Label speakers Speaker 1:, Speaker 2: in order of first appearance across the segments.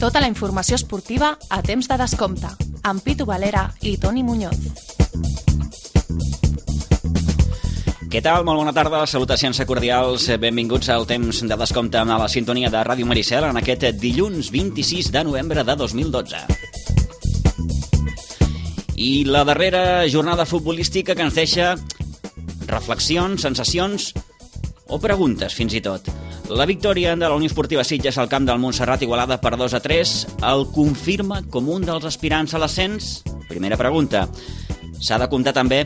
Speaker 1: Tota la informació esportiva a temps de descompte, amb Pitu Valera i Toni Muñoz.
Speaker 2: Què tal? Molt bona tarda, salutacions cordials, benvinguts al temps de descompte a la sintonia de Ràdio Maricel en aquest dilluns 26 de novembre de 2012. I la darrera jornada futbolística que ens deixa reflexions, sensacions o preguntes, fins i tot. La victòria de la Unió Esportiva Sitges al camp del Montserrat Igualada per 2-3 el confirma com un dels aspirants a l'ascens? Primera pregunta. S'ha de comptar també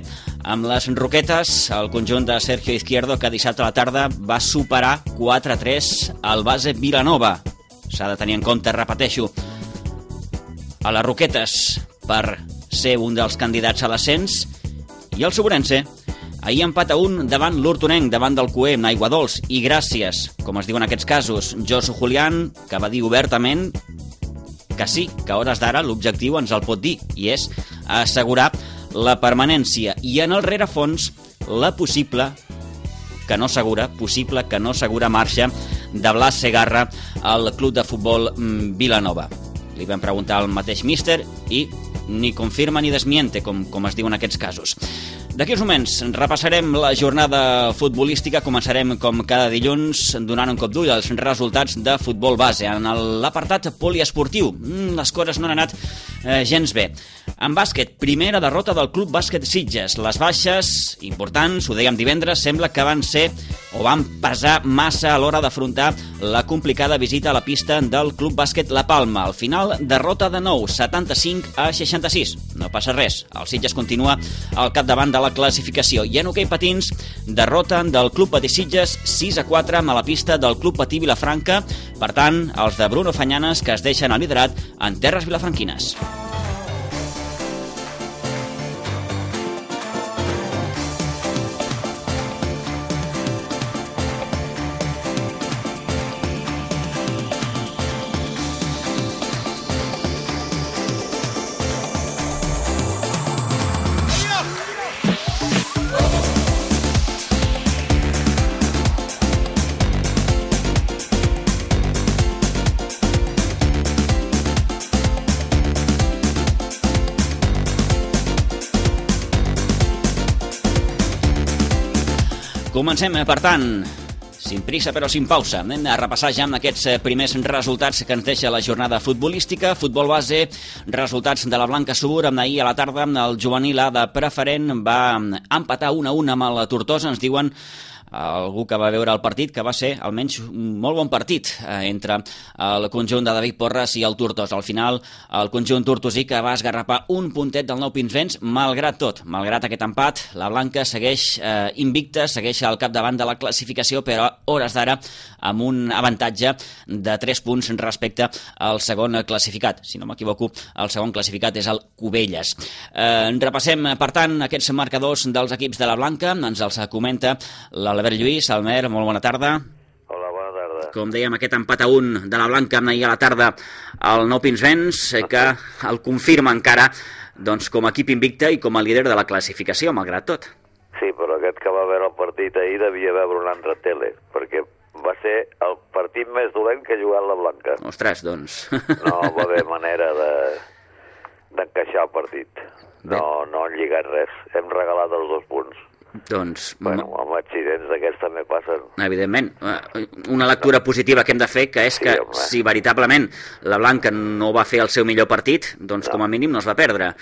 Speaker 2: amb les Roquetes, el conjunt de Sergio Izquierdo, que dissabte a la tarda va superar 4-3 al base Vilanova. S'ha de tenir en compte, repeteixo, a les Roquetes per ser un dels candidats a l'ascens, i el Sobrense ahir empat a 1 davant l'Hortonenc, davant del Cué, amb Aigua Dols, i gràcies, com es diu en aquests casos, Josu Julián, que va dir obertament que sí, que a hores d'ara l'objectiu ens el pot dir, i és assegurar la permanència, i en el rerefons la possible que no segura marxa de Blas Segarra al Club de Futbol Vilanova. Li vam preguntar al mateix míster i ni confirma ni desmiente, com es diu en aquests casos. D'aquí uns moments repassarem la jornada futbolística. Començarem com cada dilluns donant un cop d'ull als resultats de futbol base. En l'apartat poliesportiu les coses no han anat gens bé. En bàsquet, primera derrota del Club Bàsquet Sitges. Les baixes importants, ho dèiem divendres, sembla que van pesar massa a l'hora d'afrontar la complicada visita a la pista del Club Bàsquet La Palma. Al final, derrota de nou, 75-66. No passa res, el Sitges continua al capdavant de la classificació. I en hoquei patins, derrota del Club Patí Sitges 6-4 a la pista del Club Patí Vilafranca. Per tant, els de Bruno Fanyanes, que es deixen el liderat en terres vilafranquines. Comencem, per tant, sin prisa però sin pausa. Anem a repassar ja amb aquests primers resultats que ens deixa la jornada futbolística. Futbol base, resultats de la Blanca Subur. Ahir a la tarda el juvenil A de preferent va empatar 1-1 amb la Tortosa. Ens diuen algú que va veure el partit que va ser almenys un molt bon partit entre el conjunt de David Porres i el Tortosa. Al final el conjunt tortosí que va esgarrapar un puntet del Nou Pinsbens. Malgrat tot, malgrat aquest empat, la Blanca segueix invicta, segueix al capdavant de la classificació, però a hores d'ara amb un avantatge de 3 punts respecte al segon classificat. Si no m'equivoco, el segon classificat és el Cubelles. Repassem, per tant, aquests marcadors dels equips de la Blanca. Ens els comenta l'Albert Lluís. Albert, molt bona tarda.
Speaker 3: Hola, bona tarda.
Speaker 2: Com dèiem, aquest empat a 1 de la Blanca ahir a la tarda al Nou Pinsbens, que el confirma encara com a equip invicte i com a líder de la classificació, malgrat tot.
Speaker 3: Sí, però aquest que va veure el partit ahir devia veure una altra tele, perquè va ser el partit més dolent que ha jugat la Blanca.
Speaker 2: Ostres, doncs.
Speaker 3: No va haver manera d'encaixar el partit. No han lligat res. Hem regalat els 2 punts.
Speaker 2: Doncs...
Speaker 3: Bueno, amb accidents d'aquests també passen.
Speaker 2: Evidentment. Una lectura positiva que hem de fer, que és que si veritablement la Blanca no va fer el seu millor partit, doncs com a mínim no es va perdre.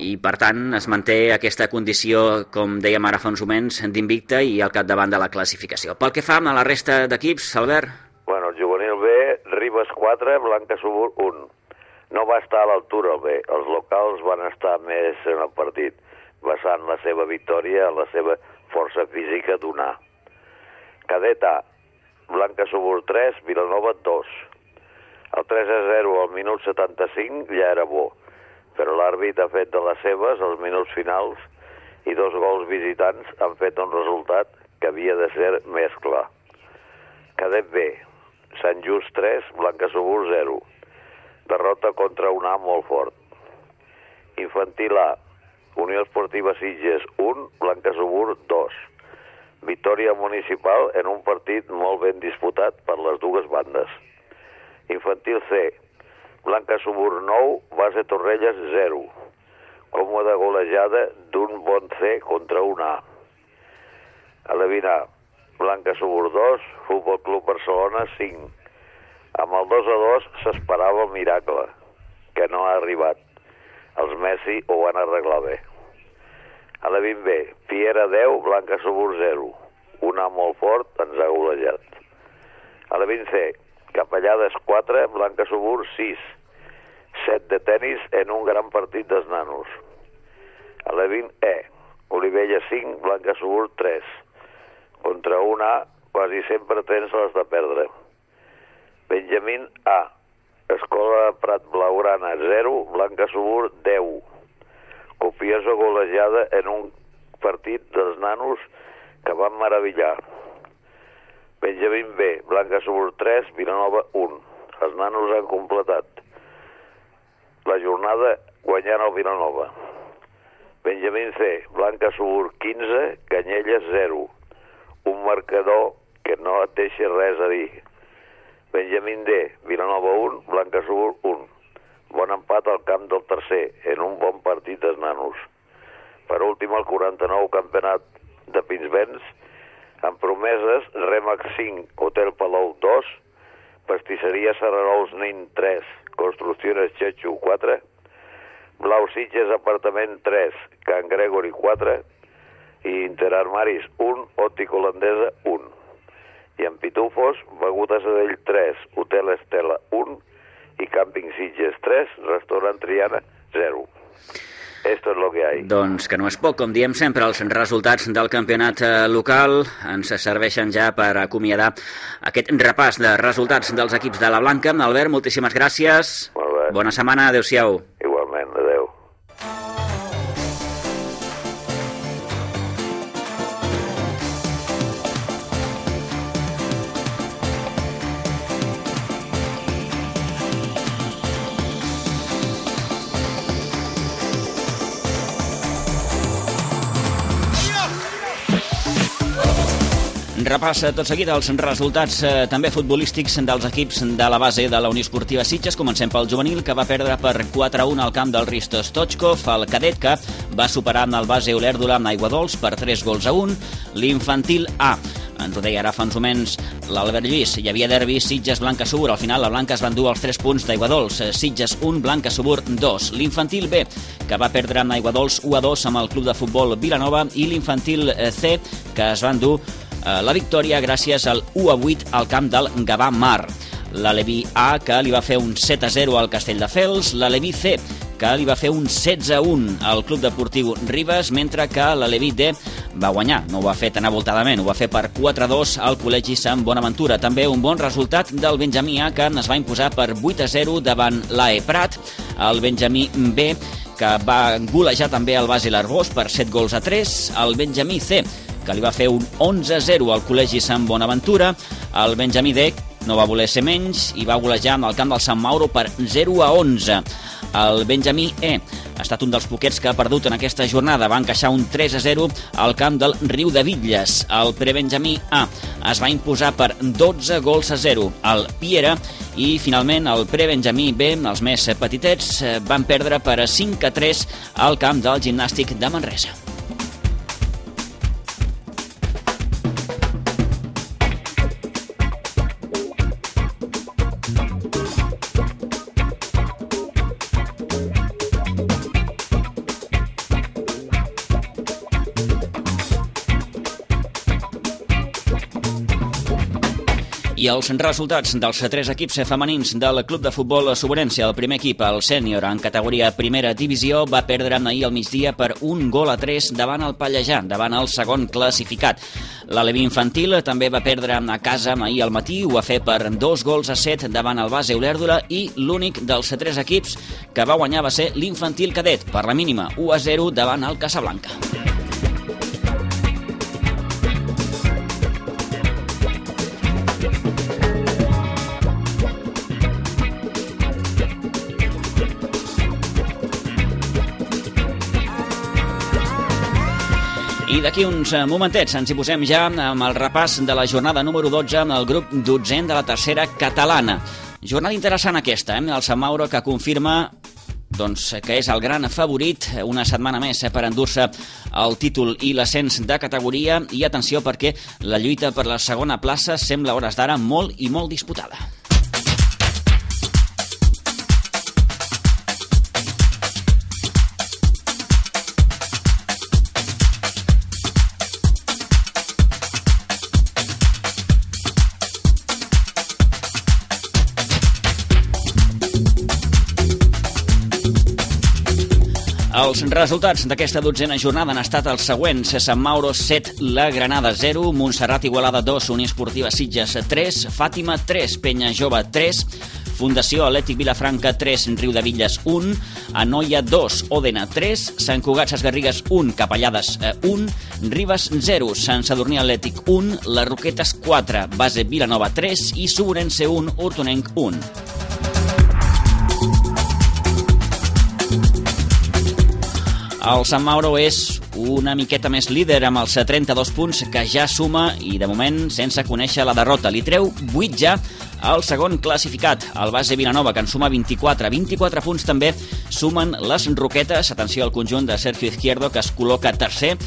Speaker 2: I per tant es manté aquesta condició, com dèiem ara fa uns moments, d'invicta i al capdavant de la classificació. Pel que fa a la resta d'equips, Albert?
Speaker 3: Bueno, el juvenil B, Ribes 4, Blanca Subur 1. No va estar a l'altura el B. Els locals van estar més en el partit, basant la seva victòria en la seva força física donar. Cadet A, Blanca Subur 3, Vilanova 2. El 3-0 al minut 75 ja era bo, però l'àrbit ha fet de les seves als minuts finals i 2 gols visitants han fet un resultat que havia de ser més clar. Cadet B, Sant Just 3, Blanca Subur 0. Derrota contra un A molt fort. Infantil A, Unió Esportiva Sitges 1, Blanca Subur 2. Victòria municipal en un partit molt ben disputat per les dues bandes. Infantil C, Blanca Subur 9, Base Torrelles 0. Còmoda golejada d'un bon C contra un A. A la 20A, Blanca Subur 2, Futbol Club Barcelona 5. Amb el 2-2 s'esperava el miracle, que no ha arribat. Els Messi ho van arreglar bé. A la 20B, Piera 10, Blanca Subur 0. Un A molt fort ens ha golejat. A la 20C, Capellades 4, Blanca Subur 6. 7 de tenis en un gran partit dels nanos. A la 20E, Olivella 5, Blanca Subur 3. Contra un A, quasi sempre tens les de perdre. Benjamín A, Escola Prat Blaugrana 0, Blanca Subur 10. Copiosa golejada en un partit dels nanos que van meravellar. Benjamín B, Blanca Subur 3, Vilanova 1. Els nanos han completat la jornada guanyant el Vilanova. Benjamín C, Blanca Subur 15, Canyelles 0. Un marcador que no et deixa res a dir. Benjamín D, Vilanova 1, Blanca Subur 1. Bon empat al camp del tercer, en un bon partit dels nanos. Per últim, el 49 campionat de Pinsbens, amb promeses, Remax 5, Hotel Palau 2, Pastisseria Serrarols Nin 3, Construcciones Chechu 4, Blau Sitges Apartament 3, Can Gregory 4 i Interarmaris 1, Òptica Holandesa 1. I en Pitufos, Beguda Sadell 3, Hotel Estela 1 i Càmping Sitges 3, Restaurant Triana 0. Esto es lo que hay.
Speaker 2: Doncs que no és poc, com diem sempre, els resultats del campionat local ens serveixen ja per acomiadar aquest repàs de resultats dels equips de la Blanca. Albert, moltíssimes gràcies.
Speaker 3: Molt bé.
Speaker 2: Bona setmana, adeu-siau.
Speaker 3: Igualment, adeu.
Speaker 2: Repassa tot seguit els resultats també futbolístics dels equips de la base de la Unió Esportiva Sitges. Comencem pel juvenil, que va perdre per 4-1 al camp del Risto Stoichkov. El cadet, que va superar el base Olèrdola amb Aiguadols per 3-1. L'infantil A, ens ho deia ara fa uns moments l'Albert Lluís, hi havia derbi Sitges-Blanca Subur. Al final la Blanca es va endur els 3 punts d'Aiguadols. Sitges 1, Blanca Subur 2. L'infantil B, que va perdre amb Aiguadols 1-2 amb el club de futbol Vilanova. I l'infantil C, que es va endur la victòria gràcies al 1-8 al camp del Gavà Mar. La Leví A, que li va fer un 7-0 al Castelldefels. La Leví C, que li va fer un 16-1 al Club Deportiu Ribes, mentre que la Leví D va guanyar. No ho va fer tan avoltadament, ho va fer per 4-2 al Col·legi Sant Bonaventura. També un bon resultat del Benjamí A, que es va imposar per 8-0 davant l'AE Prat. El Benjamí B, que va golejar també el base l'Arbós per 7-3. El Benjamí C, que li va fer un 11-0 al Col·legi Sant Bonaventura. El Benjamí D no va voler ser menys i va golejar en el camp del Sant Mauro per 0-11. El Benjamí E ha estat un dels poquets que ha perdut en aquesta jornada. Va encaixar un 3-0 al camp del Riu de Bitlles. El Prebenjamí A es va imposar per 12-0 al Piera. I finalment el Prebenjamí B, els més petitets, van perdre per 5-3 al camp del Gimnàstic de Manresa. I els resultats dels 3 equips femenins del Club de Futbol Sobrència. El primer equip, el sènior, en categoria primera divisió, va perdre ahir al migdia per 1-3 davant el Pallejà, davant el segon classificat. La Leví infantil també va perdre a casa ahir al matí, ho va fer per 2-7 davant el base Olèrdola, i l'únic dels 3 equips que va guanyar va ser l'infantil cadet, per la mínima 1-0 davant el Casablanca. I d'aquí uns momentets ens hi posem ja amb el repàs de la jornada número 12 amb el grup 12 de la tercera catalana. Jornada interessant aquesta, el Sant Mauro que confirma que és el gran favorit una setmana més per endur-se el títol i l'ascens de categoria, i atenció perquè la lluita per la segona plaça sembla a hores d'ara molt i molt disputada. Els resultats d'aquesta dotzena jornada han estat els següents: Sant Mauro 7, la Granada 0, Montserrat Igualada 2, Unió Esportiva Sitges 3, Fàtima 3, Penya Jove 3, Fundació Atlètic Vilafranca 3, Riudevilles 1, Anoia 2, Òdena 3, Sant Cugat Sesgarrigues 1, Capellades 1, Ribes 0, Sant Sadurní Atlètic 1, Les Roquetes 4, Base Vilanova 3 i Suburense 1, Hortonenc 1. El Sant Mauro és una miqueta més líder amb els 32 punts que ja suma i de moment sense conèixer la derrota. Li treu 8 ja al segon classificat, el Base Vilanova, que en suma 24. 24 punts també sumen les Roquetes. Atenció al conjunt de Sergio Izquierdo, que es col·loca tercer.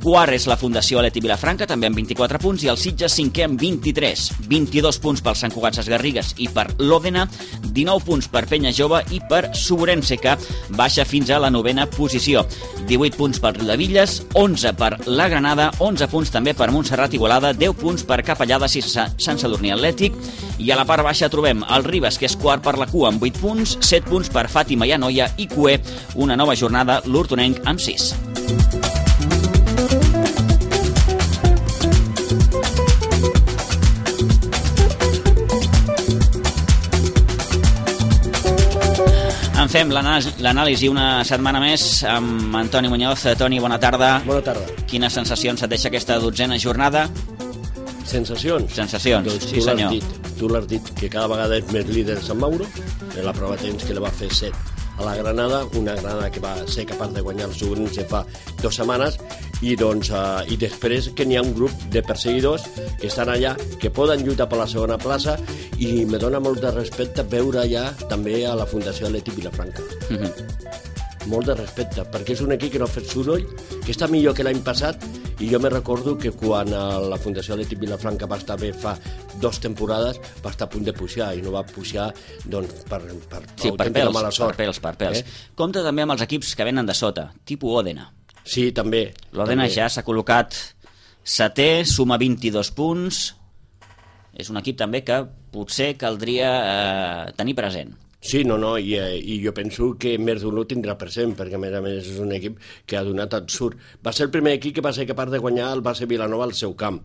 Speaker 2: Quart és la Fundació Atlètic Vilafranca, també amb 24 punts, i el Sitges cinquè amb 23. 22 punts pel Sant Cugat Sesgarrigues i per l'Òdena, 19 punts per Penya Jove i per Suburense, que baixa fins a la 9ª posició. 18 punts per Riudevilles, 11 per la Granada, 11 punts també per Montserrat Igualada, 10 punts per Capellades i Sant Sadurní Atlètic, i a la part baixa trobem el Ribes, que és quart per la cua amb 8 punts, 7 punts per Fàtima i Anoia, i cuer una nova jornada l'Hortonenc amb 6. En fem l'anàlisi una setmana més amb Antoni Muñoz. Toni, bona tarda.
Speaker 4: Bona tarda.
Speaker 2: Quines sensacions et deixa aquesta dotzena jornada?
Speaker 4: Sensacions?
Speaker 2: Sensacions,
Speaker 4: doncs
Speaker 2: sí senyor.
Speaker 4: Tu l'has dit, que cada vegada és més líder Sant Mauro, en la prova de temps que li va fer 7 a la Granada, una Granada que va ser capaç de guanyar el Suburense fa 2 setmanes, i després que n'hi ha un grup de perseguidors que estan allà, que poden lluitar per la segona plaça, i me dona molt de respecte veure allà també a la Fundació Atlètic Vilafranca. Molt de respecte, perquè és un equip que no ha fet soroll, que està millor que l'any passat, i jo me recordo que quan la Fundació Atlètic Vilafranca va estar bé fa 2 temporades, va estar a punt de pujar, i no va pujar doncs, per mala sort.
Speaker 2: Per pèls. Compte també amb els equips que venen de sota, tipus Òdena.
Speaker 4: Sí, també.
Speaker 2: L'Òdena ja s'ha col·locat 7è, suma 22 punts. És un equip també que potser caldria tenir present.
Speaker 4: Sí, i jo penso que més d'un ho tindrà present, perquè a més és un equip que ha donat absurd. Va ser el primer equip que va ser capaç de guanyar el Base Vilanova al seu camp,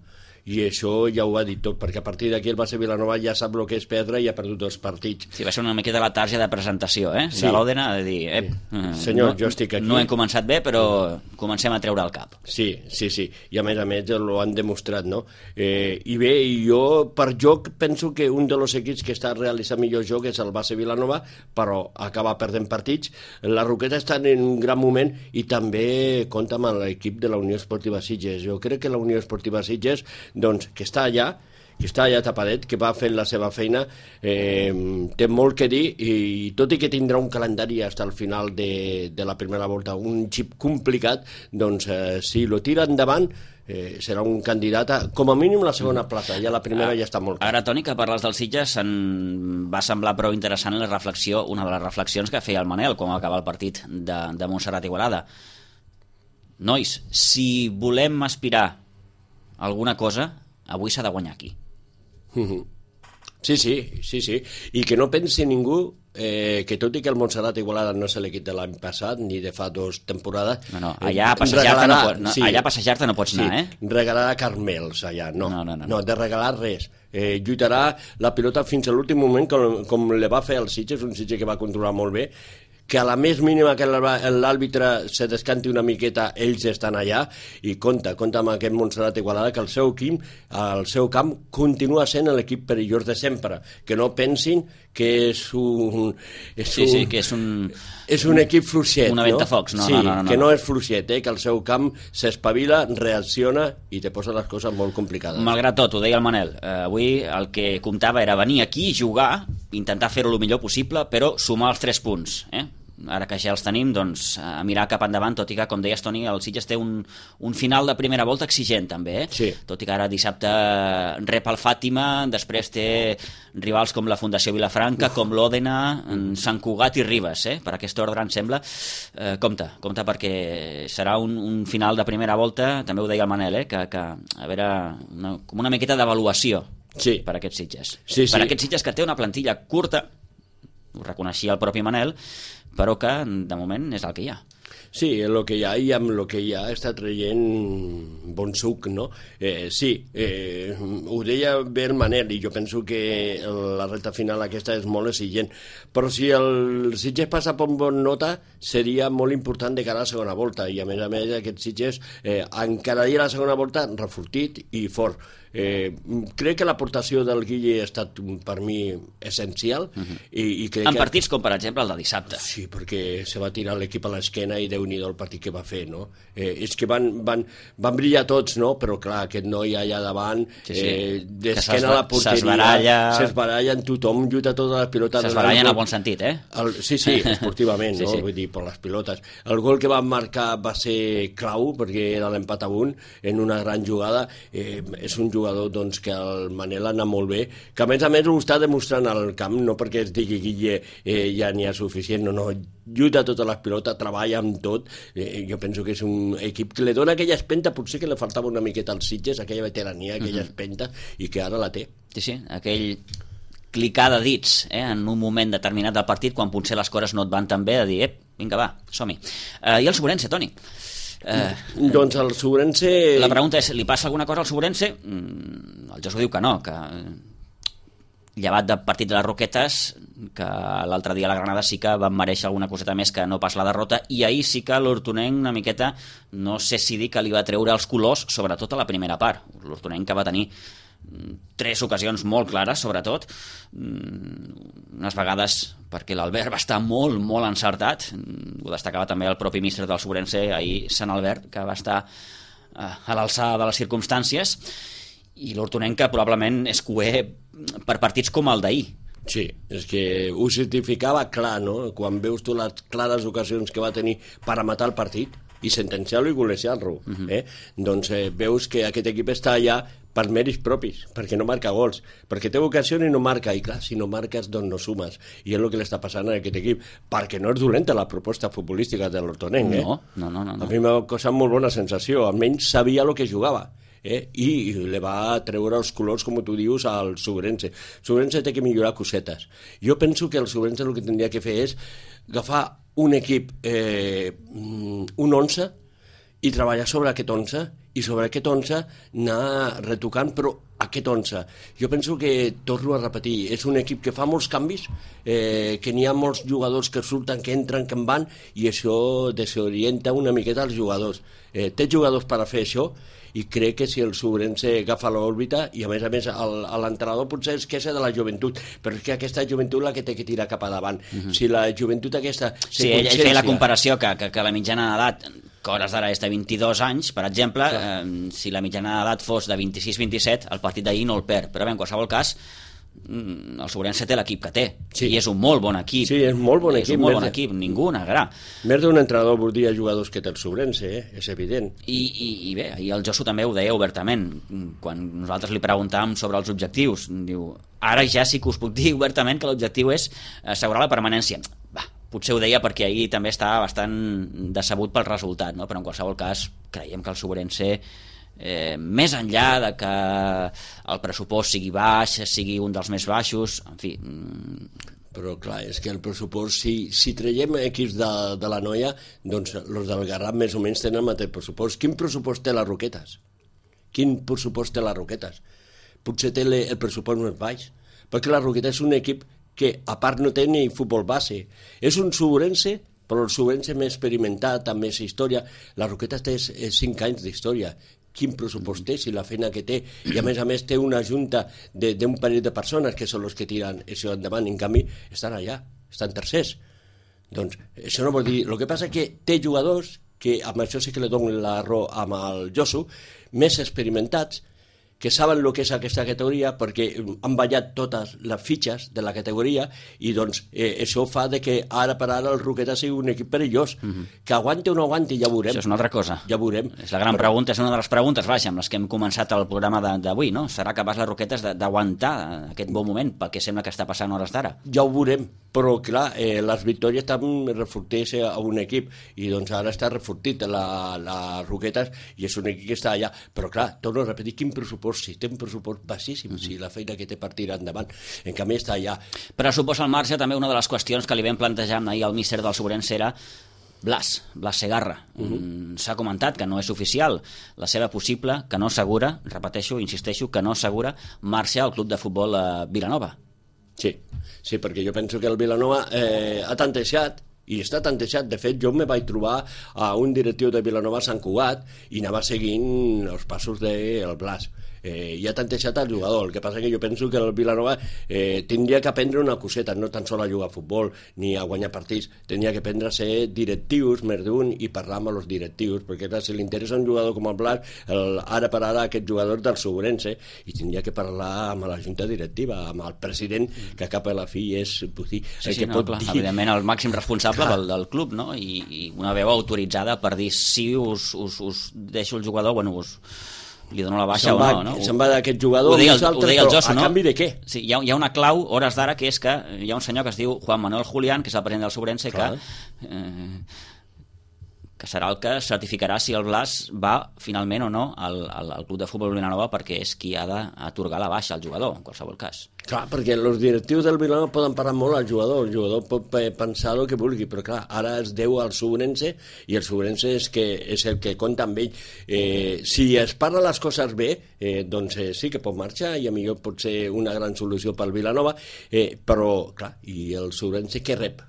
Speaker 4: i això ja ho ha dit tot, perquè a partir d'aquí el Base Vilanova ja sap el que és perdre i ha perdut 2 partits.
Speaker 2: Sí, va ser una miqueta la tarja de presentació,
Speaker 4: Sí.
Speaker 2: de l'Òdena, de dir,
Speaker 4: senyor, jo estic aquí.
Speaker 2: No hem començat bé, però comencem a treure el cap.
Speaker 4: Sí, i a més ho han demostrat, no? I bé, jo per joc penso que un dels equips que està realitzant millor joc és el Base Vilanova, però acaba perdent partits. La Roqueta està en un gran moment, i també compta amb l'equip de la Unió Esportiva Sitges. Jo crec que la Unió Esportiva Sitges, doncs, que està allà tapadet, que va fent la seva feina, té molt que dir, i tot i que tindrà un calendari fins al final de la primera volta, un xip complicat, doncs si lo tira endavant serà un candidat a, com a mínim, la segona plaça. Ja la primera ja està molt clar.
Speaker 2: Ara, Toni, que parles dels Sitges, em va semblar prou interessant una de les reflexions que feia el Manel quan va acabar el partit de Montserrat Igualada. Nois, si volem aspirar a alguna cosa, avui s'ha de guanyar aquí.
Speaker 4: Sí. I que no pensi ningú que tot i que el Montserrat Igualada no és l'equip de l'any passat ni de fa 2 temporades,
Speaker 2: allà a passejar-te no pots anar,
Speaker 4: regalarà carmels allà, no, de regalar res. Lluitarà la pilota fins a l'últim moment, com le va fer el Sitges, un Sitges que va controlar molt bé, que a la més mínima que l'àrbitre se descanti una miqueta, ells estan allà, i compta amb aquest Montserrat Igualada, que el seu camp continua sent l'equip perillós de sempre, que no pensin que és un...
Speaker 2: que és un...
Speaker 4: És un equip fluixet,
Speaker 2: una ventafocs, no?
Speaker 4: Sí,
Speaker 2: no.
Speaker 4: que no és fluixet, que el seu camp s'espavila, reacciona i te posa les coses molt complicades.
Speaker 2: Malgrat tot, ho deia el Manel, avui el que comptava era venir aquí, jugar, intentar fer-ho el millor possible, però sumar els 3 punts, Ara que ja els tenim, doncs, a mirar cap endavant, tot i que, com deies, Toni, el Sitges té un final de primera volta exigent, també,
Speaker 4: Sí.
Speaker 2: Tot i que ara dissabte rep el Fàtima, després té rivals com la Fundació Vilafranca, com l'Òdena, Sant Cugat i Ribes, per aquest ordre, em sembla. Compte, perquè serà un final de primera volta, també ho deia el Manel, que a veure, com una miqueta d'avaluació per aquests Sitges. Per aquests Sitges que té una plantilla curta, ho reconeixia el propi Manel, però que de moment és el que hi ha.
Speaker 4: Sí, el que hi ha, i amb el que hi ha està traient bon suc, no? Ho deia bé el Manel, i jo penso que la recta final aquesta és molt exigent, però si el Sitges passa per bon nota seria molt important de cara a la segona volta, i a més aquest Sitges encararia la segona volta refortit i fort. Crec que l'aportació del Guille ha estat per mi essencial i crec
Speaker 2: en partits com per exemple el de dissabte.
Speaker 4: Sí, perquè se va tirar l'equip a l'esquena i Déu-n'hi-do el partit que va fer, no? És que van brillar tots, no? Però clar, aquest noi allà davant d'esquena a la porteria s'esbaralla en tothom, lluita totes les pilotes,
Speaker 2: s'esbaralla en el bon sentit,
Speaker 4: Sí, esportivament, no? Vull dir, per les pilotes. El gol que van marcar va ser clau, perquè era l'empat a 1 en una gran jugada. És un jugador doncs, que el Manel ha anat molt bé, que a més ho està demostrant al camp, no perquè es digui Guille ja n'hi ha suficient, no, lluita totes les pilotes, treballa amb tot. Jo penso que és un equip que li dona aquella espenta, potser que li faltava una miqueta als Sitges, aquella veterania, aquella espenta, i que ara la té.
Speaker 2: Sí, aquell clicar de dits en un moment determinat del partit, quan potser les coses no et van tan bé, de dir, vinga, va, som-hi. I el Sobrense, Toni?
Speaker 4: Doncs el Sobrense...
Speaker 2: La pregunta és, li passa alguna cosa al Sobrense? El Josu diu que no, que llevat del partit de les Roquetes, que l'altre dia a la Granada sí que van mereixer alguna coseta més que no pas la derrota, i ahir sí que l'Hortonenc una miqueta, no sé si dir que li va treure els colors, sobretot a la primera part. L'Hortonenc que va tenir 3 ocasions molt clares, sobretot, unes vegades perquè l'Albert va estar molt, molt encertat, ho destacava també el propi míster del Sobrense ahir, Sant Albert, que va estar a l'alçada de les circumstàncies, i l'Hortonenc que probablement és cuer per partits com el d'ahir.
Speaker 4: Sí, és que ho certificava clar, no? Quan veus tu les clares ocasions que va tenir per a matar el partit i sentenciar-lo i golejar-lo, doncs veus que aquest equip està allà per mèrits propis, perquè no marca gols, perquè té vocació i no marca, i clar, si no marques doncs no sumes, i és el que li està passant a aquest equip, perquè no és dolenta la proposta futbolística de l'Hortonenc,
Speaker 2: No.
Speaker 4: A mi m'ha causat molt bona sensació, almenys sabia el que jugava, i li va treure els colors, com tu dius, al Sobrense. Sobrense té que millorar cosetes. Jo penso que el Sobrense el que tindria que fer és agafar un equip, un 11, i treballar sobre aquest 11, i sobre aquest 11 anar retocant, però aquest 11. Jo penso que, torno a repetir, és un equip que fa molts canvis, que n'hi ha molts jugadors que surten, que entren, que en van, i això desorienta una miqueta els jugadors. Té jugadors per a fer això, i crec que si el Sobrense agafa l'òrbita, i a més l'entrenador potser es queixa de la joventut, però és que aquesta joventut la que té que tirar cap a davant. Si la joventut aquesta...
Speaker 2: Sí, ell feia la comparació que la mitjana d'edat, que hores d'ara és de 22 anys, per exemple, si la mitjana d'edat fos de 26-27, el partit d'ahir no el perd, però bé, en qualsevol cas, el Sobrense té l'equip que té, i és un molt bon equip.
Speaker 4: Sí, és molt bon equip.
Speaker 2: És un molt bon equip, ningú negarà.
Speaker 4: Més d'un entrenador voldria jugadors que té el Sobrense, és evident.
Speaker 2: I bé, ahir el Josu també ho deia obertament, quan nosaltres li preguntàvem sobre els objectius, diu, ara ja sí que us puc dir obertament que l'objectiu és assegurar la permanència. Potser ho deia perquè ahir també estava bastant decebut pel resultat, no? Però en qualsevol cas creiem que el Sobrense, més enllà de que el pressupost sigui baix, sigui un dels més baixos, en fi...
Speaker 4: Però clar, és que el pressupost, si traiem equips de la Noia, doncs els del Garraf més o menys tenen el mateix pressupost. Quin pressupost té les Roquetes? Quin pressupost té les Roquetes? Potser té el pressupost més baix, perquè la Roquetes és un equip que a part no té ni futbol base. És un Subrense, però el Subrense més experimentat, amb més història. La Roquetes té 5 anys d'història. Quin pressupost té, si la feina que té, i a més té una junta d'un parell de persones que són els que tiren això endavant, en canvi estan allà, estan tercers. Doncs això no vol dir... El que passa que té jugadors que amb això sí que li dono la raó amb el Josu, més experimentats, que saben el que és aquesta categoria perquè han ballat totes les fitxes de la categoria i doncs això fa de que ara per ara el Roquetes sigui un equip perillós. Que aguanti o no aguanti ja veurem.
Speaker 2: Això és una altra cosa.
Speaker 4: Ja veurem.
Speaker 2: És la gran pregunta, és una de les preguntes, vaja, amb les que hem començat el programa d'avui, no? Serà capaç les Roquetes d'aguantar aquest bon moment pel que sembla que està passant hores d'ara?
Speaker 4: Ja ho veurem, però clar, les victòries també reforteix a un equip i doncs ara està refortit la Roquetes i és un equip que està allà. Però clar, torno a repetir, quin pressupost, si té un pressupost baixíssim, si la feina que té per tirar endavant, en canvi està allà.
Speaker 2: Pressupost al marge, també una de les qüestions que li vam plantejar ahir al míster del Sobrense era Blas Segarra. S'ha comentat que no és oficial la seva possible, que no segura, repeteixo, insisteixo, que no segura marxa al club de futbol Vilanova.
Speaker 4: Sí, perquè jo penso que el Vilanova ha tantejat i està tantejat. De fet, jo me vaig trobar a un directiu de Vilanova a Sant Cugat i anava seguint els passos del Blas. I ha tantejat el jugador. El que passa que jo penso que el Vilanova tindria que aprendre una coseta, no tan sols a jugar a futbol ni a guanyar partits, tindria que aprendre a ser directius, més d'un, i parlar amb els directius, perquè clar, si li interessa un jugador com el Blas, ara per ara aquest jugador del Sobrense, i tindria que parlar amb la junta directiva, amb el president, que cap a la fi és dir,
Speaker 2: evidentment el màxim responsable del club, no? I una veu autoritzada per dir si us deixo el jugador, bueno, li dono la baixa o no?
Speaker 4: Se'n va d'aquest jugador,
Speaker 2: ho deia el Josu, no?
Speaker 4: A canvi de què?
Speaker 2: Sí, hi ha una clau, hores d'ara, que és que hi ha un senyor que es diu Juan Manuel Julián, que és el president del Sobrense, que serà el que certificarà si el Blas va finalment o no al club de futbol Vilanova, perquè és qui ha d'atorgar la baixa al jugador, en qualsevol cas.
Speaker 4: Clar, perquè els directius del Vilanova poden parar molt al jugador, el jugador pot pensar el que vulgui, però clar, ara es deu al Sobrense i el Sobrense és el que compta amb ell. Si es parla les coses bé, doncs sí que pot marxar i a millor pot ser una gran solució pel Vilanova, però clar, i el Sobrense què rep?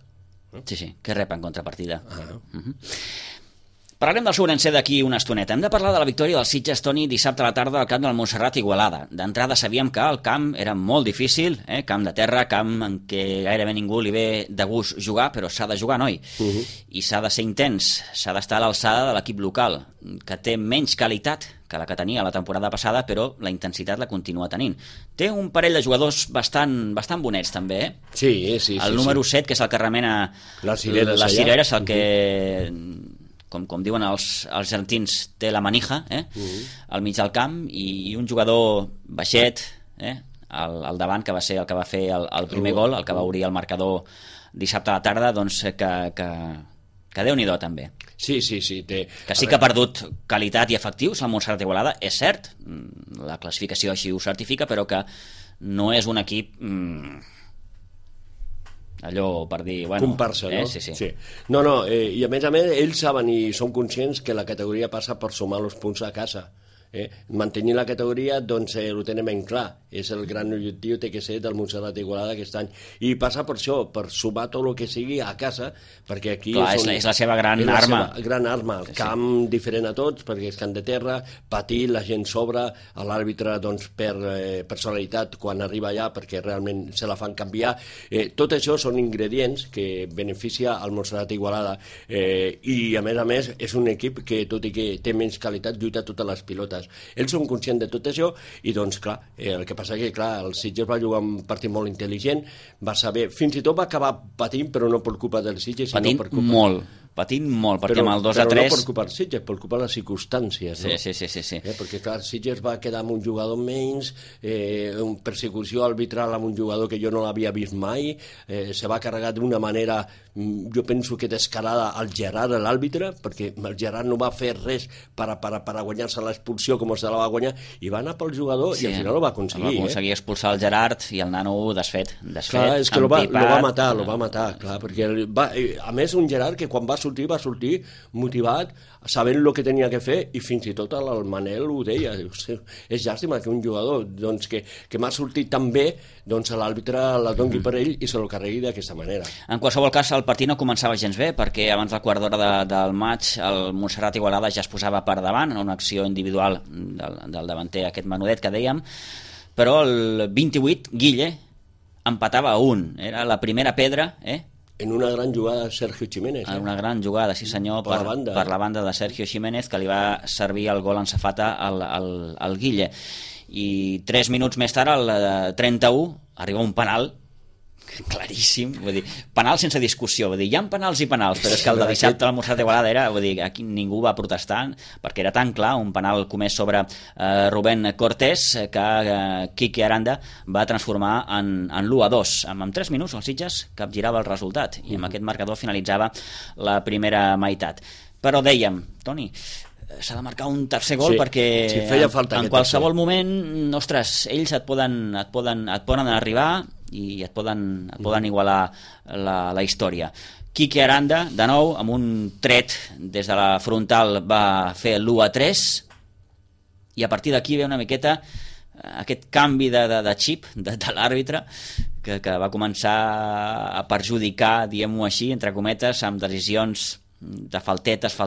Speaker 2: Sí, què rep en contrapartida? Parlarem del Sobrense d'aquí una estoneta. Hem de parlar de la victòria del Sitges, Toni, dissabte a la tarda al camp del Montserrat Igualada. D'entrada sabíem que el camp era molt difícil, camp de terra, camp en què gairebé ningú li ve de gust jugar, però s'ha de jugar, noi. I s'ha de ser intens, s'ha d'estar a l'alçada de l'equip local, que té menys qualitat que la que tenia la temporada passada, però la intensitat la continua tenint. Té un parell de jugadors bastant bonets, també,
Speaker 4: Sí.
Speaker 2: El número 7, que és el que remena les cireres, el que... Com diuen els argentins, té la manija al mig del camp, i un jugador baixet al davant, que va ser el que va fer el primer gol, el que va obrir el marcador dissabte a la tarda, doncs que Déu-n'hi-do també.
Speaker 4: Sí.
Speaker 2: Que sí que ha perdut qualitat i efectius el Montserrat Igualada, és cert, la classificació així ho certifica, però que no és un equip... allò per dir...
Speaker 4: comparsa, no?
Speaker 2: Sí.
Speaker 4: No, i a més, ells saben i són conscients que la categoria passa per sumar els punts a casa. Mantenir la categoria, doncs ho tenen ben clar, és el gran objectiu, té que ser del Montserrat Igualada aquest any, i passa per això, per sumar tot el que sigui a casa, perquè aquí
Speaker 2: clar, és la seva gran arma,
Speaker 4: el camp diferent a tots, perquè és camp de terra, patir, la gent sobra, l'àrbitre doncs per personalitat quan arriba allà, perquè realment se la fan canviar, tot això són ingredients que beneficia al Montserrat Igualada, i a més és un equip que tot i que té menys qualitat lluita totes les pilotes. Ells són conscients de tot això i doncs clar, el que passa que clar, el Sitges va jugar un partit molt intel·ligent, va saber, fins i tot va acabar patint, però no per culpa del Sitges, sinó per culpa...
Speaker 2: Patint molt, perquè amb el 2-3...
Speaker 4: Però no per culpa del Sitges, per culpa de les circumstàncies, no?
Speaker 2: Sí.
Speaker 4: Perquè clar, Sitges va quedar amb un jugador menys, una persecució arbitral amb un jugador que jo no l'havia vist mai, se va carregar d'una manera, jo penso que descarada al Gerard, l'àrbitre, perquè el Gerard no va fer res per guanyar-se l'expulsió com se la va guanyar, i va anar pel jugador i al final ho va aconseguir.
Speaker 2: Va aconseguir expulsar el Gerard i el nano desfet.
Speaker 4: Clar, és que lo va matar, clar, perquè a més un Gerard que quan va sortir sortir motivat, sabent el que tenia que fer, i fins i tot el Manel ho deia, és llàstima que un jugador doncs, que m'ha sortit tan bé, doncs l'àrbitre la doni per ell i se lo carregui d'aquesta manera.
Speaker 2: En qualsevol cas, el partit no començava gens bé, perquè abans del quart d'hora del maig el Montserrat Igualada ja es posava per davant en una acció individual del davanter, aquest menudet que dèiem, però el 28 Guille empatava a 1, era la primera pedra,
Speaker 4: En una gran jugada de Sergio Jiménez.
Speaker 2: En una gran jugada, sí senyor, per la banda de Sergio Jiménez, que li va servir el gol en safata al Guille. I 3 minuts més tard, al 31, arriba un penal claríssim, vull dir, penal sense discussió, vull dir, hi ha penals i penals, però és que el de dissabte al Montserrat Igualada era, vull dir, aquí ningú va protestar perquè era tan clar, un penal comès sobre Rubén Cortés que Quique Aranda va transformar en l'1-2, amb 3 minuts els Sitges capgirava el resultat i amb aquest marcador finalitzava la primera meitat. Però dèiem, Toni, s'ha de marcar un tercer gol perquè en qualsevol moment, ostres, ells et poden arribar i et poden igualar la història. Quique Aranda, de nou, amb un tret des de la frontal va fer l'1-3 i a partir d'aquí ve una miqueta aquest canvi de xip de l'àrbitre que va començar a perjudicar, diguem-ho així, entre cometes, amb decisions de faltetes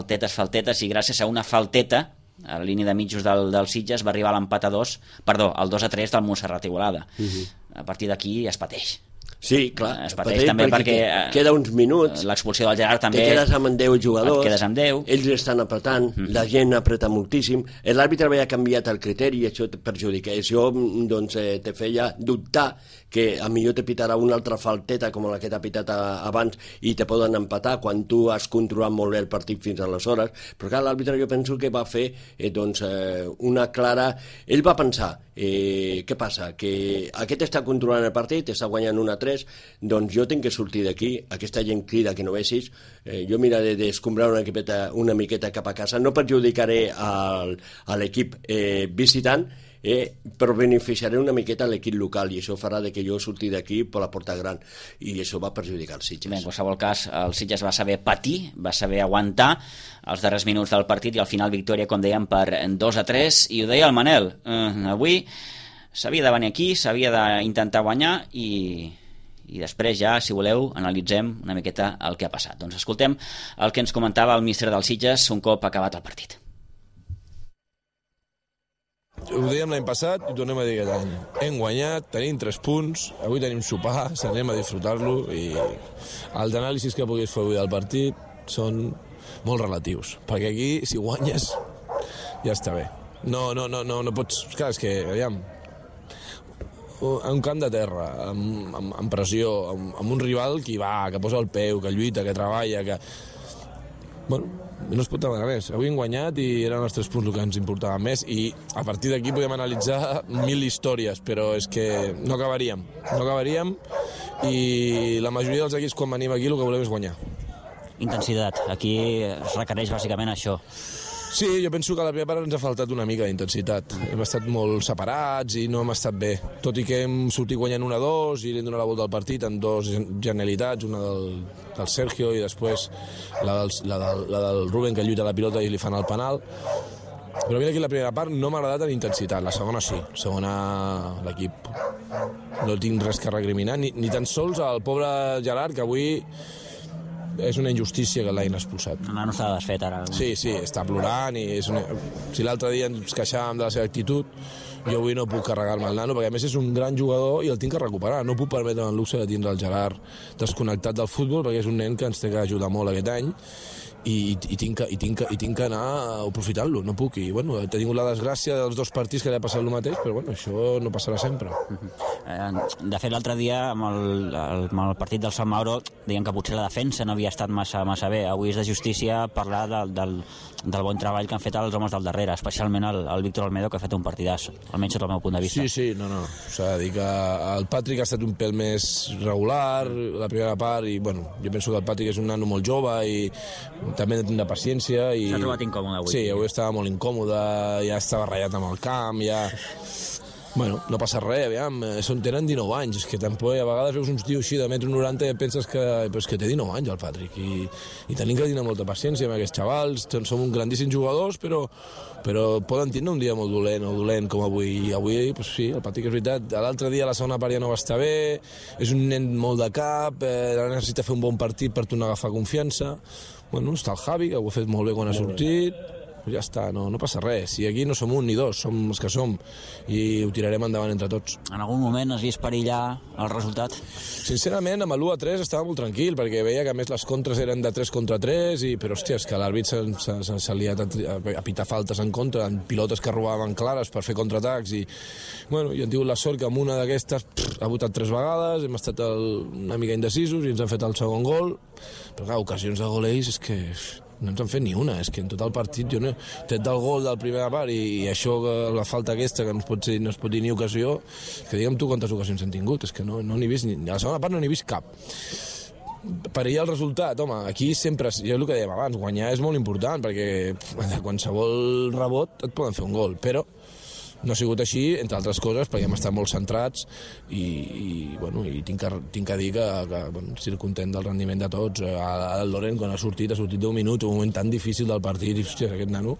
Speaker 2: i gràcies a una falteta a la línia de mitjos del Sitges va arribar a l'empat al 2-3 del Montserrat Igualada. A partir d'aquí es pateix.
Speaker 4: Sí, clar,
Speaker 2: es pateix també perquè
Speaker 4: queda uns minuts,
Speaker 2: l'expulsió del Gerard també,
Speaker 4: te quedes amb 10 jugadors,
Speaker 2: et quedes amb 10,
Speaker 4: ells estan apretant, la gent apreta moltíssim, l'àrbitre havia canviat el criteri i això perjudica, això doncs, te feia dubtar que a millor te pitarà una altra falteta com la que t'ha pitat abans i te poden empatar quan tu has controlat molt bé el partit fins aleshores, però clar, l'àrbitre jo penso que va fer una clara... Ell va pensar, què passa? Que aquest està controlant el partit, està guanyant 1-3, doncs jo tinc que sortir d'aquí, aquesta gent crida que no vegis, jo miraré d'escombrar una miqueta cap a casa, no perjudicaré a l'equip visitant, però beneficiaré una miqueta l'equip local i això farà que jo surti d'aquí per la porta gran i això va perjudicar els Sitges.
Speaker 2: Bé, en qualsevol cas, el Sitges va saber patir, va saber aguantar els darrers minuts del partit i al final victòria, com dèiem, per 2-3 i ho deia el Manel, avui s'havia de venir aquí, s'havia d'intentar guanyar i després ja, si voleu, analitzem una miqueta el que ha passat. Doncs escoltem el que ens comentava el míster dels Sitges un cop acabat el partit.
Speaker 5: Ho dèiem l'any passat i ho tornem a dir aquest any. Hem guanyat, tenim 3 punts, avui tenim sopar, anem a disfrutar-lo i els anàlisis que puguis fer avui del partit són molt relatius, perquè aquí, si guanyes, ja està bé. No pots... Clar, és que, aviam, un camp de terra, amb pressió, amb un rival que va, que posa el peu, que lluita, que treballa, que... Bueno, no es pot demanar més. Avui hem guanyat i eren els 3 punts el que ens importava més i a partir d'aquí podem analitzar 1000 històries, però és que no acabaríem i la majoria dels equips quan venim aquí el que volem és guanyar.
Speaker 2: Intensitat, aquí es requereix bàsicament això.
Speaker 5: Sí, jo penso que a la primera part ens ha faltat una mica d'intensitat. Hem estat molt separats i no hem estat bé. Tot i que hem sortit guanyant 1-2 i li hem donat la volta al partit amb 2 genialitats, una del Sergio i després la del Rubén que lluita la pilota i li fan el penal. Però mira, aquí la primera part no m'ha agradat en intensitat, la segona sí. La segona l'equip no tinc res que recriminar, ni tan sols al pobre Gerard, que avui... és una injustícia que l'hagin expulsat.
Speaker 2: No està desfet ara.
Speaker 5: Sí, està plorant i és si l'altre dia ens queixàvem de la seva actitud, jo avui no puc carregar-me el nano perquè a més és un gran jugador i el tinc que recuperar. No puc permetre el luxe de tindre el Gerard desconnectat del futbol perquè és un nen que ens té que ajudar molt aquest any i tinc que anar aprofitant-lo, no puc. I bueno, he tingut la desgràcia dels 2 partits que li ha passat el mateix, però bueno, això no passarà sempre.
Speaker 2: De fet, l'altre dia amb el partit del Sant Mauro deien que potser la defensa no havia estat massa bé. Avui és de justícia parlar del bon treball que han fet els homes del darrere, especialment el Víctor Almedo, que ha fet un partidàs, almenys des del meu punt de vista.
Speaker 5: Sí, no. S'ha de dir que el Patrick ha estat un pèl més regular la primera part i bueno, jo penso que el Patrick és un nano molt jove i també hem de tindre paciència i...
Speaker 2: S'ha trobat incòmode avui.
Speaker 5: Sí, avui estava molt incòmode, ja estava ratllat amb el camp, ja... Bueno, no passa res, aviam, tenen 19 anys, és que tampoc a vegades veus uns tios així de 1,90 m i penses que té 19 anys el Patrick, i tenim que tenir molta paciència amb aquests xavals, som grandíssims jugadors, però poden tindre un dia molt dolent com avui, i avui, pues sí, el Patrick és veritat, l'altre dia la segona part ja no va estar bé, és un nen molt de cap, necessita fer un bon partit per tornar a agafar confiança. Bueno, està el Javi, que ho ha fet molt bé quan ha sortit, ja està, no passa res. Si aquí no som un ni dos, som els que som, i ho tirarem endavant entre tots.
Speaker 2: En algun moment has vist perillar el resultat?
Speaker 5: Sincerament, amb l'1-3 estava molt tranquil, perquè veia que a més les contres eren de 3 contra 3, però hòstia, és que l'àrbit s'ha liat a pitar faltes en contra, en pilotes que robaven clares per fer contraatacs, i bueno, jo he tingut la sort que amb una d'aquestes ha votat 3 vegades, hem estat una mica indecisos i ens han fet el segon gol, però clar, ocasions de gol ells és que no ens han fet ni una, és que en tot el partit jo no, tret del gol del primera part i això, la falta aquesta que no es pot dir ni ocasió, que digue'm tu quantes ocasions han tingut, és que no n'he vist ni, a la segona part no n'he vist cap. Per ahir el resultat, home, aquí sempre, jo el que dèiem abans, guanyar és molt important, perquè de qualsevol rebot et poden fer un gol, però no ha sigut així, entre altres coses, perquè hem estat molt centrats i tinc que dir que bueno, estic content del rendiment de tots. El Loren, quan ha sortit 10 minuts, un moment tan difícil del partit, i hòstia, aquest nano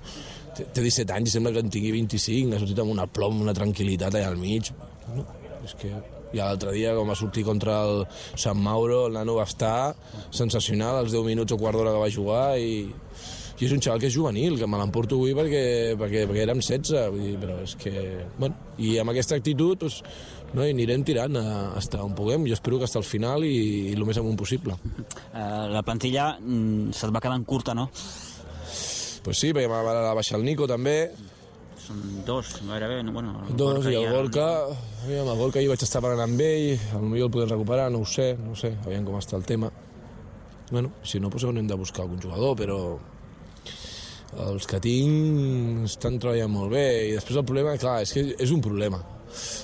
Speaker 5: té 17 anys i sembla que en tingui 25, ha sortit amb una plom, una tranquil·litat allà al mig. No, és que i l'altre dia, com va sortir contra el Sant Mauro, el nano va estar sensacional els 10 minuts o quart d'hora que va jugar, i és un xaval que és juvenil, que me l'emporto avui perquè érem 16, vull dir, però és que, bueno, i amb aquesta actitud doncs, no, anirem tirant fins on puguem. Jo espero que fins al final i el més amunt possible.
Speaker 2: La plantilla se't va quedant curta, no?
Speaker 5: Pues sí, perquè va baixar el Nico també.
Speaker 2: Són 2, gairebé, bueno...
Speaker 5: 2, i el Gorka, aviam, el Gorka ahir vaig estar parlant amb ell, potser el podem recuperar, no ho sé, aviam com està el tema. Bueno, si no, doncs haurem de buscar algun jugador, però els que tinc estan treballant molt bé, i després el problema, clar, és que és un problema,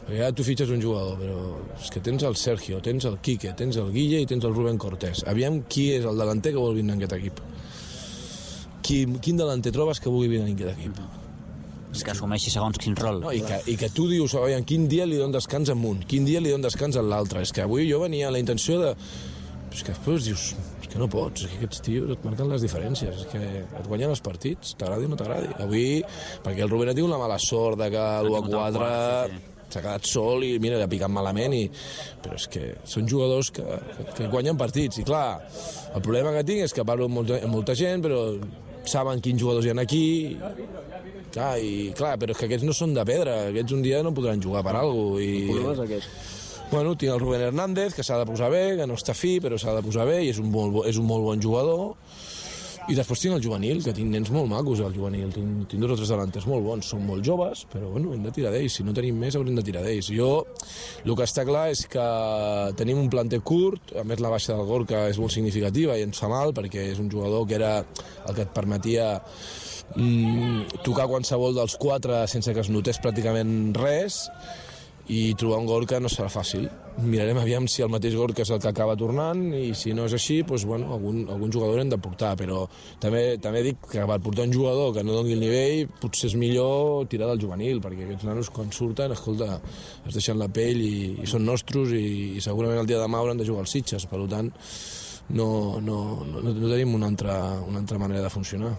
Speaker 5: perquè ara tu fitxes un jugador, però és que tens el Sergio, tens el Quique, tens el Guille i tens el Rubén Cortés. Aviam qui és el delanter que vol vindre en aquest equip, quin delanter trobes que vulgui vindre en aquest equip?
Speaker 2: És que assumeixi segons quin rol.
Speaker 5: No, i que tu dius, aviam, quin dia li donen descans a un, quin dia li donen descans a l'altre. És que avui jo venia a la intenció de... És que després dius, que no pots, és que aquests tios et marquen les diferències, és que et guanyen els partits, t'agradi o no t'agradi. Avui, perquè el Rubén ha tingut la mala sort de que l'1-4 s'ha quedat sol i mira, l'ha picat malament, però és que són jugadors que guanyen partits, i clar, el problema que tinc és que parlo amb molta gent, però saben quins jugadors hi ha aquí, clar, però és que aquests no són de pedra, aquests un dia no podran jugar per alguna cosa. El problema és aquest. Bueno, tinc el Rubén Hernández, que s'ha de posar bé, que no està fi, però s'ha de posar bé, i és un molt bon jugador. I després tinc el juvenil, que tinc nens molt macos, el juvenil. Tinc 2 o 3 delanters molt bons, són molt joves, però bueno, hem de tirar d'ells. Si no tenim més, haurem de tirar d'ells. El que està clar és que tenim un planter curt, a més la baixa del Gorka és molt significativa i ens fa mal, perquè és un jugador que era el que et permetia tocar qualsevol dels 4 sense que es notés pràcticament res, i trobar un Gorka no serà fàcil. Mirarem aviam si el mateix Gorka és el que acaba tornant, i si no és així, doncs, bueno, algun jugador hem de portar, però també dic que per portar un jugador que no doni el nivell potser és millor tirar del juvenil, perquè aquests nanos quan surten, escolta, es deixen la pell i són nostres, i segurament el dia de demà hauran de jugar als Sitges, per tant no tenim una altra manera de funcionar.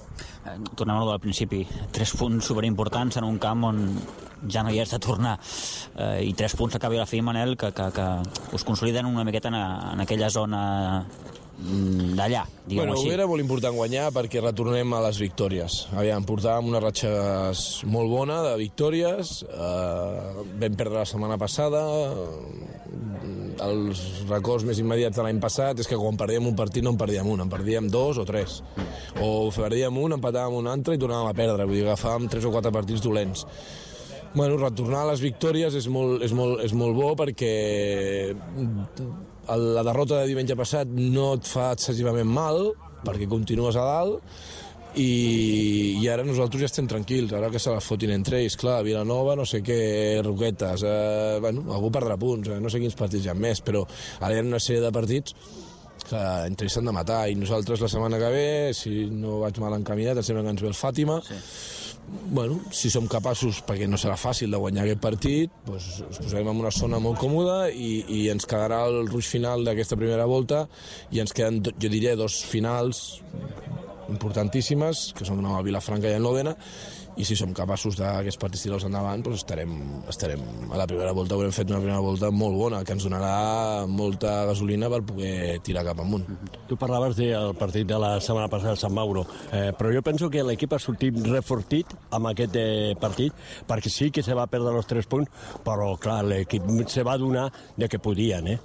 Speaker 2: Tornem a lo del principi, 3 punts superimportants en un camp on ja no hi has de tornar, i 3 punts a cap i a la fi, Manel, que us consoliden una miqueta en aquella zona d'allà, diguem-ho així.
Speaker 5: Era molt important guanyar perquè retornem a les victòries. Aviam, portàvem una ratxa molt bona de victòries, vam perdre la setmana passada, els records més immediats de l'any passat és que quan perdíem un partit no en perdíem un, en perdíem 2 o 3, o perdíem un, empatàvem un altre i tornàvem a perdre, vull dir, agafàvem 3 o 4 partits dolents. Bueno, retornar a les victòries és molt bo, perquè la derrota de diumenge passat no et fa excessivament mal, perquè continues a dalt, i ara nosaltres ja estem tranquils, ara que se la fotin entre ells, clar, Vilanova, no sé què, Roquetes, algú perdrà punts, no sé quins partits hi ha més, però ara hi ha una sèrie de partits que entre ells s'han de matar, i nosaltres la setmana que ve, si no vaig mal encaminat, em sembla que ens ve el Fàtima, sí. bueno, si som capaços, perquè no serà fàcil de guanyar aquest partit, doncs ens posarem en una zona molt còmoda i ens quedarà el ruix final d'aquesta primera volta i ens queden, jo diria, 2 finals importantíssimes, que són el Vilafranca i el Lòdena, i si som capaços d'aquests partits tirar-los endavant, doncs estarem a la primera volta, haurem fet una primera volta molt bona, que ens donarà molta gasolina per poder tirar cap amunt.
Speaker 6: Tu parlaves del partit de la setmana passada a Sant Mauro, però jo penso que l'equip ha sortit refortit amb aquest partit, perquè sí que se va perdre els 3 punts, però clar, l'equip se va donar de que podien,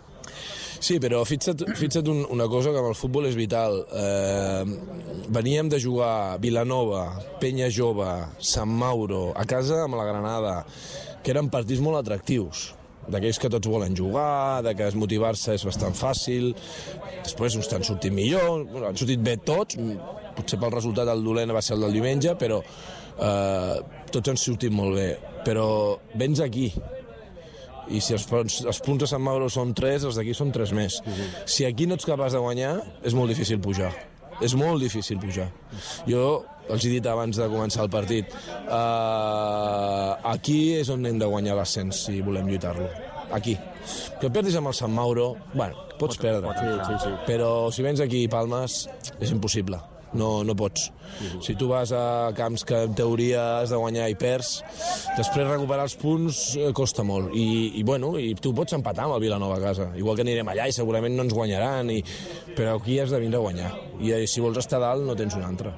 Speaker 5: Sí, però fixa't una cosa que amb el futbol és vital. Veníem de jugar Vilanova, Penya Jove, Sant Mauro, a casa amb la Granada, que eren partits molt atractius, d'aquells que tots volen jugar, de que motivar-se és bastant fàcil. Després uns t'han sortit millor, han sortit bé tots, potser pel resultat el dolent va ser el del diumenge, però tots han sortit molt bé. Però vens aquí, i si els punts de Sant Mauro són 3, els d'aquí són 3 més. Si aquí no ets capaç de guanyar, és molt difícil pujar. És molt difícil pujar. Jo els he dit abans de començar el partit, aquí és on hem de guanyar l'ascens si volem lluitar-lo. Aquí. Que perdis amb el Sant Mauro, bueno, pots perdre. Sí. Però si vens aquí i palmes, és impossible. No pots. Si tu vas a camps que en teoria has de guanyar i perds, després recuperar els punts costa molt. I tu pots empatar amb el Vilanova a casa. Igual que anirem allà i segurament no ens guanyaran, però aquí has de vindre a guanyar. I si vols estar dalt no tens un altre.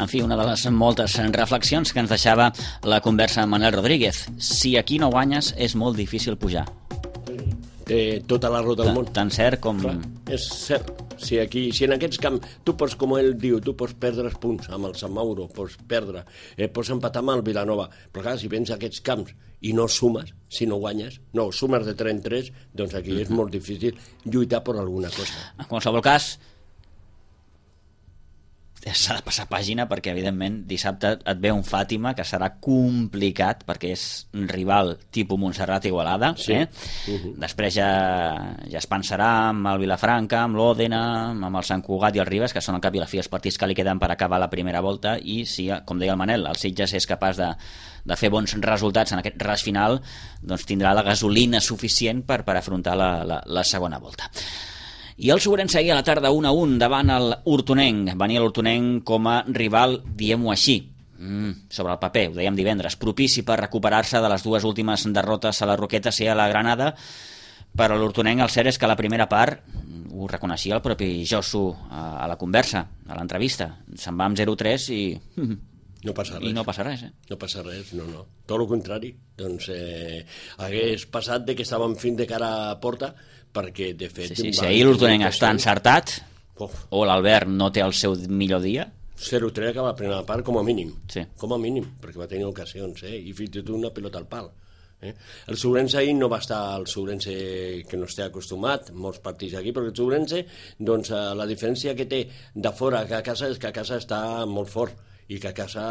Speaker 2: En fi, una de les moltes reflexions que ens deixava la conversa amb Manel Rodríguez. Si aquí no guanyes, és molt difícil pujar.
Speaker 4: Té tota la raó del món.
Speaker 2: Tan cert com...
Speaker 4: Clar, és cert. Si en aquests camps, tu pots, com ell diu, tu pots perdre els punts amb el Sant Mauro, pots perdre, pots empatar amb el Vilanova, però clar, si vens a aquests camps i no sumes, si no guanyes, no, sumes de 3 en 3, doncs aquí és molt difícil lluitar per alguna cosa.
Speaker 2: En qualsevol cas, s'ha de passar pàgina perquè, evidentment, dissabte et ve un Fàtima que serà complicat perquè és un rival tipus Montserrat Igualada.
Speaker 4: Sí.
Speaker 2: Després ja es pensarà amb el Vilafranca, amb l'Òdena, amb el Sant Cugat i el Ribes, que són al cap i a la fi els partits que li queden per acabar la primera volta, i si, com deia el Manel, el Sitges és capaç de fer bons resultats en aquest ras final, doncs tindrà la gasolina suficient per afrontar la segona volta. I el Sobrense ahir a la tarda 1-1 davant el Hortonenc. Venia l'Hortonenc com a rival, diguem-ho així, sobre el paper, ho dèiem divendres, propici per recuperar-se de les 2 últimes derrotes a la Roquetes i a la Granada, però l'Hortonenc el cert és que a la primera part, ho reconeixia el propi Josu a la conversa, a l'entrevista, se'n va amb 0-3 i...
Speaker 4: No passa res.
Speaker 2: I no passa res,
Speaker 4: No passa res, no. Tot el contrari. Doncs hagués passat de que estàvem fent de cara a porta, perquè, de fet...
Speaker 2: Sí, si ahir l'Hortonenc està encertat, o l'Albert no té el seu millor dia...
Speaker 4: 0-3 acaba la primera part, com a mínim.
Speaker 2: Sí.
Speaker 4: Com a mínim, perquè va tenir ocasions, i fins i tot una pilota al pal. El Sobrense ahir no va estar el Sobrense que no esté acostumat, molts partits aquí, però el Sobrense, doncs, la diferència que té de fora que a casa és que a casa està molt fort, i que a casa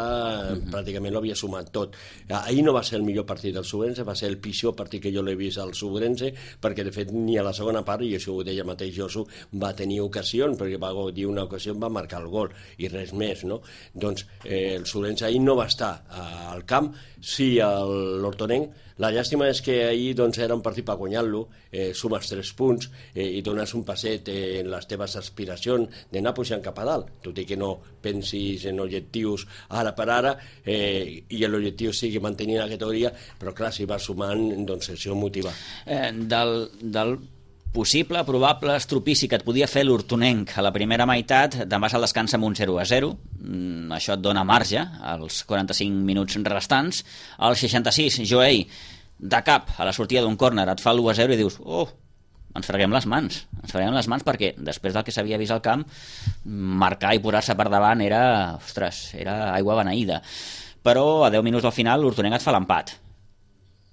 Speaker 4: pràcticament lo havia sumat tot. Ahir no va ser el millor partit del Sobrense, va ser el pitjor partit que jo l'he vist al Sobrense, perquè de fet ni a la segona part, i això ho deia mateix Josu, va tenir ocasions, perquè va dir una ocasió, va marcar el gol i res més, no? Doncs el Sobrense ahir no va estar al camp, sí l'Hortonenc. La llàstima és que ahir doncs, era un partit per guanyar-lo, sumes 3 punts i dones un passet en les teves aspiracions d'anar pujant cap a dalt, tot i que no pensis en objectius ara per ara i l'objectiu sigui mantenir la categoria, però clar, si vas sumant, doncs això motiva.
Speaker 2: Del possible, probable estropici que et podia fer l'Hortonenc a la primera meitat, te'n vas al descans amb un 0-0, això et dona marge als 45 minuts restants. Al 66, Joey, de cap, a la sortida d'un córner, et fa l'1-0 i dius, ens freguem les mans perquè després del que s'havia vist al camp, marcar i posar-se per davant era aigua beneïda. Però a 10 minuts al final l'Hortonenc et fa l'empat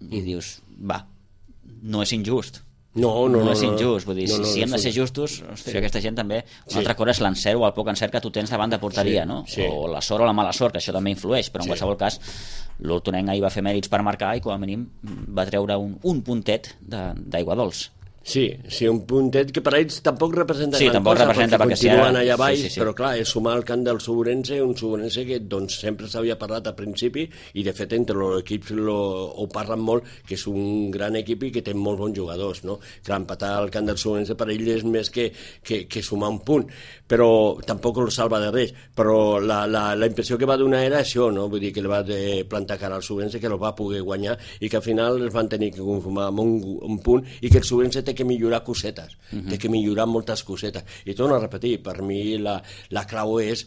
Speaker 2: i dius, no és injust,
Speaker 4: No
Speaker 2: és injust, vull dir, si hem de ser justos, hòstia, aquesta gent també, una altra cosa és l'encert o el poc encert que tu tens davant de porteria, no? O la sort o la mala sort, que això també influeix, però en qualsevol cas l'Hortonenc ahir va fer mèrits per marcar i com a mínim va treure un puntet d'aigua dolç.
Speaker 4: Sí, un puntet que per a ells tampoc representa gran
Speaker 2: cosa,
Speaker 4: perquè continuen allà baix,
Speaker 2: sí.
Speaker 4: però clar, és sumar el camp del Suburense, un Suburense que doncs, sempre s'havia parlat al principi i de fet entre els equips ho parlen molt, que és un gran equip i que té molts bons jugadors, no? Clar, empatar el camp del Suburense per ell és més que sumar un punt, però tampoc el salva de res, però la impressió que va donar era això, no? Vull dir que li va plantar cara al Suburense, que el va poder guanyar i que al final es van tenir que conformar amb un punt i que el Suburense té que millorar cosetes, té que millorar moltes cosetes. I torno a repetir, per mi la clau és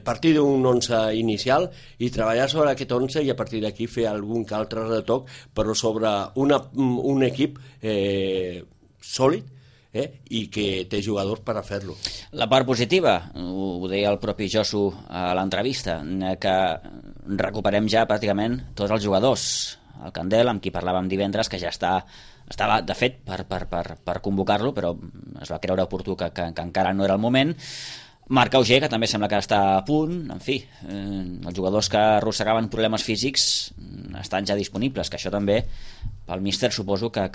Speaker 4: partir d'un 11 inicial i treballar sobre aquest 11 i a partir d'aquí fer algun que altre retoc, però sobre un equip sòlid i que té jugadors per a fer-lo.
Speaker 2: La part positiva, ho deia el propi Josu a l'entrevista, que recuperem ja pràcticament tots els jugadors. El Candel, amb qui parlàvem divendres, que ja estava de fet per convocar-lo, però es va creure oportú que encara no era el moment. Marc Auger, que també sembla que està a punt. En fi, els jugadors que arrossegaven problemes físics estan ja disponibles, que això també pel míster suposo que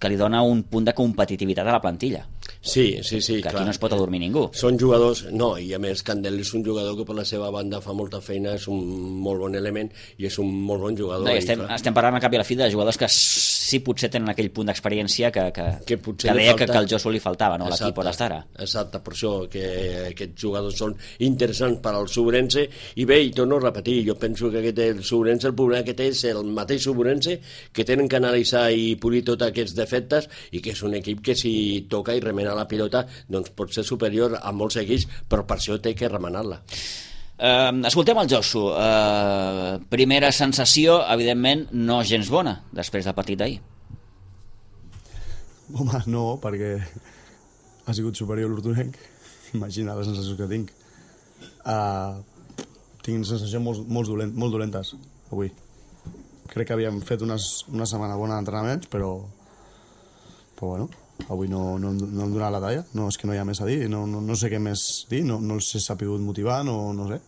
Speaker 2: li dona un punt de competitivitat a la plantilla.
Speaker 4: Sí,
Speaker 2: que
Speaker 4: clar.
Speaker 2: Aquí no es pot adormir ningú.
Speaker 4: Són jugadors, no, i a més Candel és un jugador que per la seva banda fa molta feina, és un molt bon element i és un molt bon jugador.
Speaker 2: No, estem parlant a cap i a la fi de jugadors que sí potser tenen aquell punt d'experiència que deia que al Josu li faltava, no? L'equip on està ara.
Speaker 4: Exacte, per això que aquests jugadors són interessants per al Suburense i bé, i torno a repetir, jo penso que el Suburense, el problema que té és el mateix Suburense, que tenen que analitzar i polir tots aquests defectes i que és un equip que si toca i remena la pilota doncs pot ser superior a molts equips, però per això té que remenar-la.
Speaker 2: Escoltem el Josu. Primera sensació, evidentment no gens bona després del partit d'ahir.
Speaker 7: Home, no, perquè ha sigut superior l'Hortonenc. Imagina la sensació que tinc. Tinc sensacions molt dolentes avui. Crec que havíem fet una setmana bona d'entrenaments, però bueno, avui no hem donat la talla. No, és que no hi ha més a dir, no sé què més dir, no els he sapigut motivar, no sé.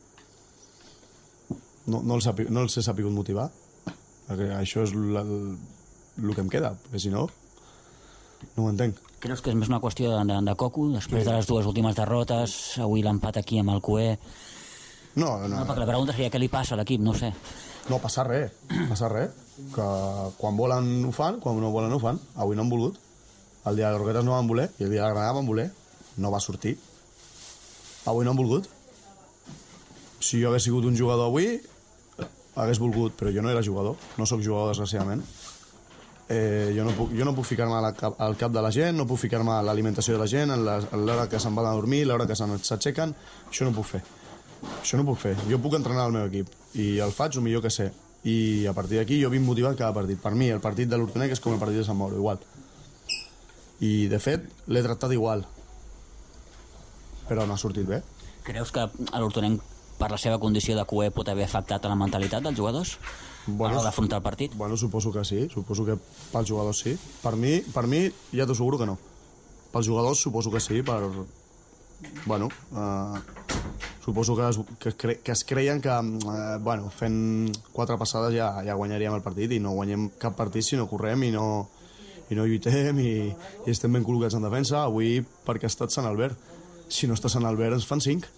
Speaker 7: No els he sapigut motivar. Perquè això és el que em queda, perquè si no ho entenc.
Speaker 8: Creus que és més una qüestió de coco, després de les dues últimes derrotes, avui l'empat aquí amb el Cué?
Speaker 7: No,
Speaker 8: perquè la pregunta seria què li passa a l'equip, no sé.
Speaker 7: No, passa res, que quan volen ho fan, quan no volen ho fan. Avui no han volgut. El dia de les Roquetes no van voler i el dia de la Granada van voler. No va sortir. Avui no han volgut. Si jo hagués sigut un jugador avui, hagués volgut, però jo no era jugador. No sóc jugador, desgraciadament. Jo no puc ficar-me al cap de la gent, no puc ficar-me a l'alimentació de la gent, a l'hora que se'n van a dormir, a l'hora que s'aixequen. Això no puc fer. Jo puc entrenar el meu equip i el faig el millor que sé. I a partir d'aquí jo vinc motivat cada partit. Per mi el partit de l'Hortonenc és com el partit de Sant Mauro, igual. I de fet l'he tractat igual, però no ha sortit bé.
Speaker 8: Creus que l'Hortonenc per la seva condició de Cué pot haver afectat a la mentalitat dels jugadors a l'hora d'afrontar el partit?
Speaker 7: Bueno, suposo que sí, suposo que pels jugadors sí. Per mi ja t'asseguro que no. Pels jugadors suposo que sí, suposo que es creien que fent 4 passades ja guanyaríem el partit i no guanyem cap partit si no correm i no lluitem i estem ben col·locats en defensa. Avui perquè ha estat Sant Albert. Si no està Sant Albert ens fan 5,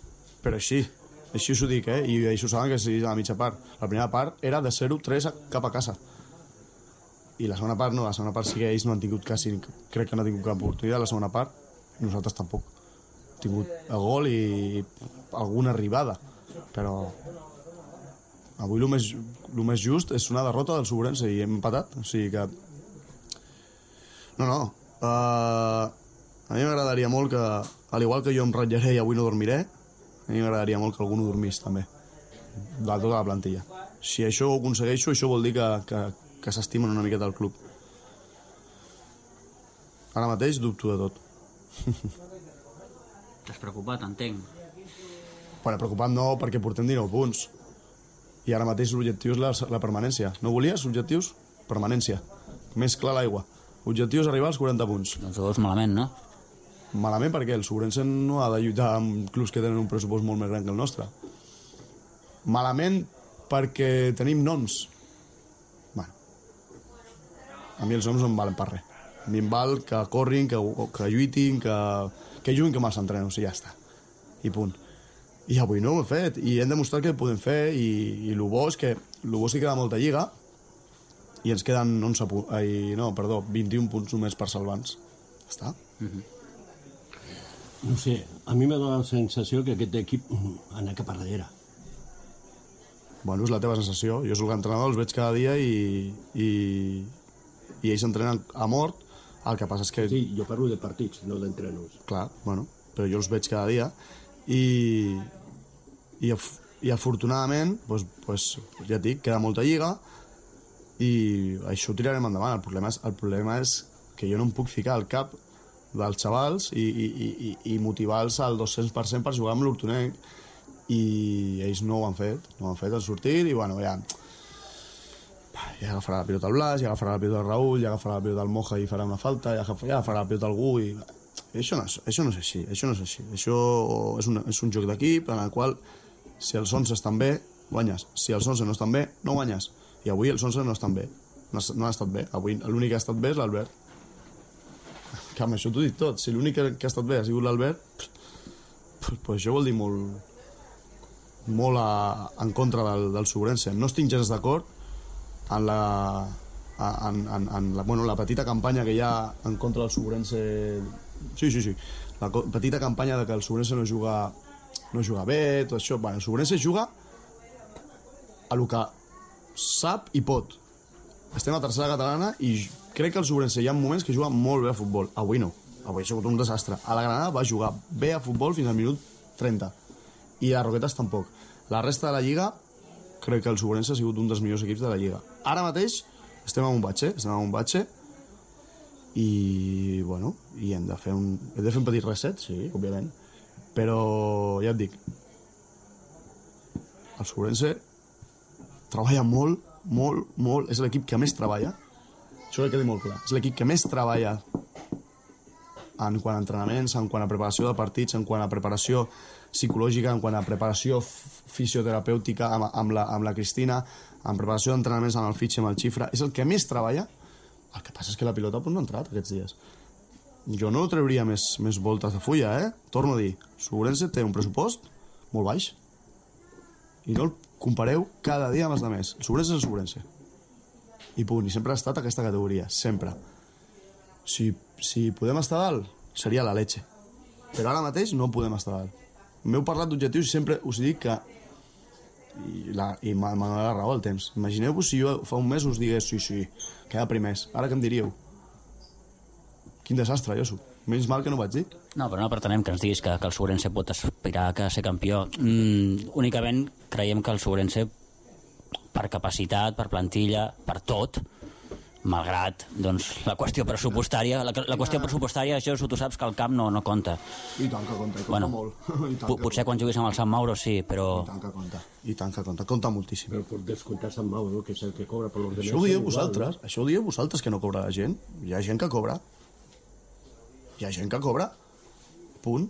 Speaker 7: però així us ho dic, i això ho saben que sí, a la mitja part. La primera part era de 0-3 cap a casa i la segona part no, la segona part sí que ells no han tingut quasi, crec que no han tingut cap oportunitat la segona part, i nosaltres tampoc. Hem tingut el gol i alguna arribada, però avui el més just és una derrota del Suburense i hem empatat, o sigui que a mi m'agradaria molt que, al igual que jo em ratllaré i avui no dormiré, a mi m'agradaria molt que algú no dormís també, de tota la plantilla. Si això ho aconsegueixo, això vol dir que s'estimen una miqueta el club. Ara mateix dubto de tot.
Speaker 8: T'has preocupat, entenc.
Speaker 7: Bueno, preocupat no, perquè portem 19 punts. I ara mateix l'objectiu és la permanència. No volies objectius? Permanència. Més clar l'aigua. Objectiu és arribar als 40 punts.
Speaker 8: Doncs ho veus malament, no?
Speaker 7: Malament perquè el Sobrense no ha de lluitar amb clubs que tenen un pressupost molt més gran que el nostre. Malament perquè tenim noms. Bueno, a mi els noms no em valen per res. A mi em val que corrin, que lluitin, que juguin com els entrenos i ja està. I punt. I avui no ho hem fet, i hem demostrat que ho podem fer, i el bo és que queda molta lliga, i ens queden 21 punts només per salvar-nos. Ja està.
Speaker 6: No sé, a mi m'ha donat la sensació que aquest equip anava cap a darrere.
Speaker 7: Bueno, és la teva sensació. Jo soc l'entrenador, els veig cada dia i ells s'entrenen a mort. El que passa és que...
Speaker 6: Sí, jo parlo de partits, no d'entrenos.
Speaker 7: Clar, bueno, però jo els veig cada dia i afortunadament pues, ja et dic, queda molta lliga i això ho tirarem endavant. El problema és que jo no em puc ficar al cap dels xavals i motivar-los al 200% per jugar amb l'Hortonenc, i ells no ho han fet, han sortit i bueno, ja agafarà la pilota el Blas, ja agafarà la pilota el Raúl, ja agafarà la pilota el Moja i farà una falta, ja agafarà la pilota algú i això no és així. Això és un joc d'equip en el qual si els 11 estan bé, guanyes. Si els 11 no estan bé, no guanyes. I avui els 11 no estan bé. No han estat bé. Avui l'únic que ha estat bé és l'Albert. Que amb això t'ho dic tot. Si l'únic que ha estat bé ha sigut l'Albert, pues això vol dir molt en contra del Sobrense. No estic gens d'acord en la petita campanya que hi ha en contra del Sobrense. Sí. La petita campanya de que el Sobrense no juga bé, tot això. Bueno, el Sobrense juga a lo que sap i pot. Estem a tercera catalana i crec que el Sobrense hi ha moments que juga molt bé a futbol. Avui no. Avui ha sigut un desastre. A la Granada va jugar bé a futbol fins al minut 30. I a Roquetes tampoc. La resta de la Lliga crec que el Sobrense ha sigut un dels millors equips de la Lliga. Ara mateix estem en un batxe i bueno, i hem de fer un petit reset, sí, òbviament, però ja et dic, el Sobrense treballa molt, és l'equip que més treballa, això que quedi molt clar, és l'equip que més treballa en quant a entrenaments, en quant a preparació de partits, en quant a preparació psicològica, en quant a preparació fisioterapèutica amb la Cristina, en preparació d'entrenaments amb el Fitx i amb el Xifra, és el que més treballa. El que passa és que la pilota no ha entrat aquests dies. Jo no trauria més voltes de fulla, Torno a dir, Sobrense té un pressupost molt baix i no el compareu cada dia amb els altres. El Sobrense és el Sobrense. I punt, i sempre ha estat aquesta categoria, sempre. Si podem estar dalt, seria la leche. Però ara mateix no podem estar dalt. M'heu parlat d'objectius i sempre us dic que i m'ha donat la raó al temps. Imagineu-vos si jo fa un mes us digués sí, queda primers. Ara què em diríeu? Quin desastre jo soc. Menys mal que no ho vaig dir.
Speaker 8: No, però no pretenem que ens diguis que el Sobrense pot aspirar a ser campió. Únicament creiem que el Sobrense, per capacitat, per plantilla, per tot, malgrat doncs, la qüestió pressupostària, això tu saps que el camp no compta.
Speaker 7: I tant que compta,
Speaker 8: bueno,
Speaker 7: molt.
Speaker 8: Potser quan juguis amb el Sant Mauro sí, però...
Speaker 7: I tant que compta moltíssim.
Speaker 6: Però per descomptar Sant Mauro, que és el que cobra per l'ordenança...
Speaker 7: Això ho dieu vosaltres, que no cobra la gent. Hi ha gent que cobra. Punt.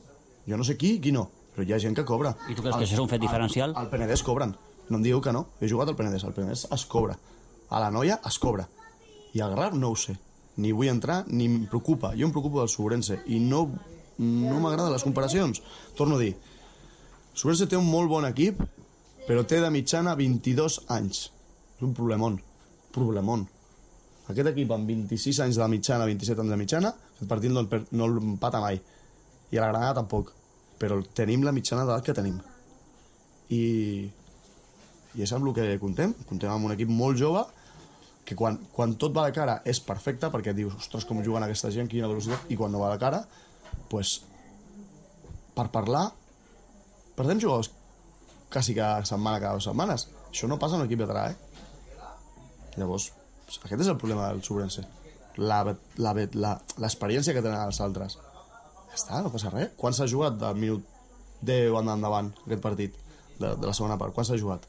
Speaker 7: Jo no sé qui no, però hi ha gent que cobra.
Speaker 8: I tu creus que això és un fet diferencial?
Speaker 7: Al Penedès cobren. No em digueu que no. He jugat al Penedès es cobra. A la Noia es cobra. I al Garraf no ho sé. Ni vull entrar, ni em preocupa. Jo em preocupo del Sobrense i no m'agraden les comparacions. Torno a dir, Sobrense té un molt bon equip, però té de mitjana 22 anys. És un problemón. Aquest equip amb 26 anys de mitjana, 27 anys de mitjana, aquest partit no l'empata mai. I a la Granada tampoc. Però tenim la mitjana d'edat que tenim. I és amb el que contem. Contem amb un equip molt jove que quan tot va de cara és perfecte, perquè dius, ostres, com juguen aquesta gent, quina velocitat, i quan no va de cara, pues, per parlar, perdem jugadors quasi cada 2 setmanes. Això no passa en l'equip veterà, Llavors, aquest és el problema del Sobrense. L'experiència que tenen els altres. Ja està, no passa res. Quan s'ha jugat del minut 10 endavant aquest partit de la segona part? Quan s'ha jugat?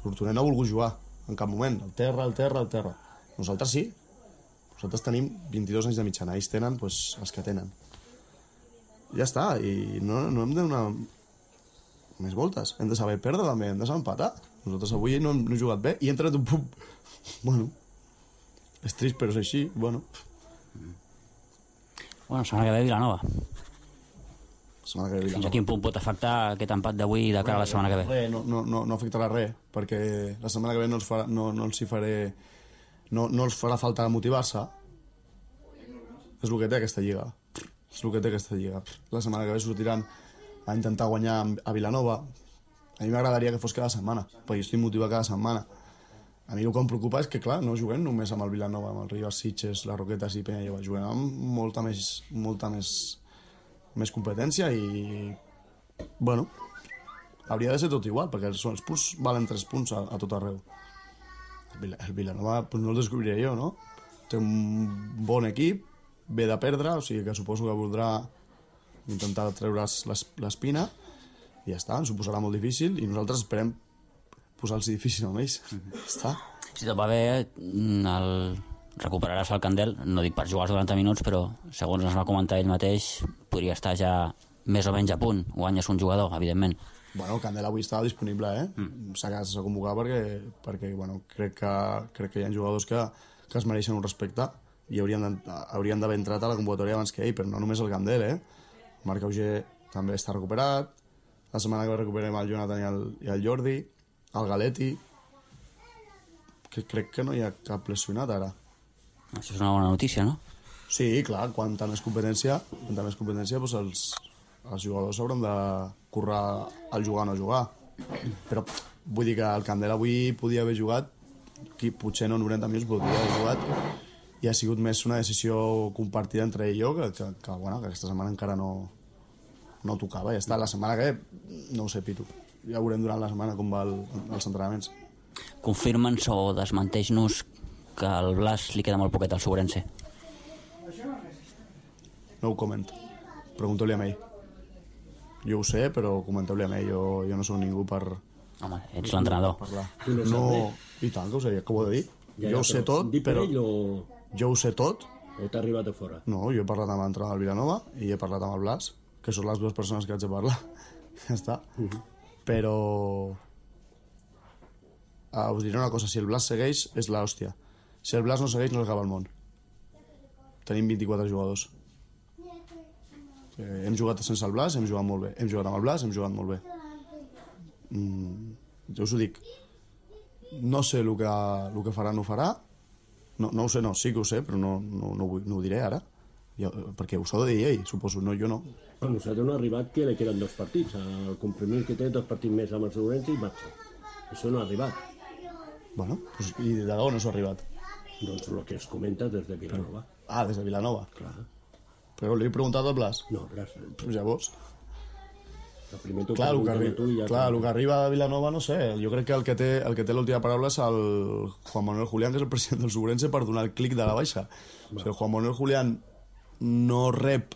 Speaker 7: L'Hortonet no ha volgut jugar en cap moment. El terra. Nosaltres sí. Nosaltres tenim 22 anys de mitjana, ells tenen els que tenen. Ja està, i no hem de donar més voltes. Hem de saber perdre també, hem de saber empatar. Nosaltres avui no hem jugat bé i hem tret un punt. Bueno, és trist, però és així. Bueno,
Speaker 8: setmana que ve Vilanova.
Speaker 7: Setmana que ve Vilanova.
Speaker 8: Fins a quin punt pot afectar aquest empat d'avui de cara a la setmana que ve?
Speaker 7: No afectarà res, perquè la setmana que ve no els farà falta motivar-se. És el que té aquesta lliga. La setmana que ve sortiran a intentar guanyar a Vilanova. A mi m'agradaria que fos cada setmana, perquè jo estic motivat cada setmana. A mi el que em preocupa és que, clar, no juguem només amb el Vilanova, amb el Rivas, Sitges, les Roquetes i Penyalloba. Juguem amb molta més competència i, bueno, hauria de ser tot igual, perquè els punts valen 3 punts a tot arreu. El Vilanova no el descobriré jo, no? Té un bon equip, ve de perdre, o sigui que suposo que voldrà intentar treure's l'espina i ja està, ens ho posarà molt difícil i nosaltres esperem posar-los difícil amb ells. Està.
Speaker 8: Si tot va bé, recuperaràs el Candel, no dic per jugar els 90 minuts, però segons ens va comentar ell mateix, podria estar ja més o menys a punt. Guanyes un jugador, evidentment.
Speaker 7: Bueno, el Candel avui estava disponible, s'ha convocat perquè bueno, crec que hi ha jugadors que es mereixen un respecte i haurien d'haver entrat a la convocatòria abans que ell, però no només el Candel, Marc Auger també està recuperat, la setmana que ve recuperem el Jonathan i el Jordi, el Galetti, que crec que no hi ha cap lesionat ara.
Speaker 8: Això és una bona notícia, no?
Speaker 7: Sí, clar, quanta més competència doncs els jugadors hauran de currar al jugar o no jugar. Però vull dir que el Candel avui podia haver jugat, potser no 90 minuts, podria haver jugat, i ha sigut més una decisió compartida entre ell i jo, que aquesta setmana encara no tocava, ja està. La setmana que ve, no ho sé, Pitu. Ja veurem durant la setmana com va els entrenaments.
Speaker 8: Confirma'ns o desmenteix-nos que al Blas li queda molt poquet al Sobrense.
Speaker 7: No ho comento. Pregunteu-li a ell. Jo ho sé, però comenteu-li a ell. Jo no sóc ningú per...
Speaker 8: Home, ets l'entrenador.
Speaker 7: No, i tant que ho sé, que ho he de dir. Jo ho sé tot, però... Jo ho sé tot.
Speaker 4: O t'ha arribat a fora?
Speaker 7: No, jo he parlat amb l'entrenador del Vilanova i he parlat amb el Blas, que són les dues persones que haig de parlar. Ja està. Però... us diré una cosa, si el Blas segueix és l'hòstia. Si el Blas no segueix no acaba el món. Tenim 24 jugadors. Hem jugat sense el Blas, hem jugat molt bé. Hem jugat amb el Blas, hem jugat molt bé. Jo us ho dic. No sé el que farà, no farà. No ho sé, sí que ho sé, però no ho diré ara. Perquè ho s'ha de dir ell, suposo, no, jo no.
Speaker 4: A nosaltres no ha arribat que li queden 2 partits. El compromís que té 2 partits més amb el Sobrense i marxa. Això no ha arribat.
Speaker 7: Bueno, i de on no s'ha arribat?
Speaker 4: Doncs el que es comenta des de Vilanova.
Speaker 7: Des de Vilanova?
Speaker 4: Clar.
Speaker 7: Però li he preguntat al Blas?
Speaker 4: No, gràcies.
Speaker 7: Pues llavors...
Speaker 4: Clar,
Speaker 7: el que arriba a Vilanova, no sé. Jo crec que el que té l'última paraula és el Juan Manuel Julián, que és el president del Sobrense, per donar el clic de la baixa. Si el Juan Manuel Julián no rep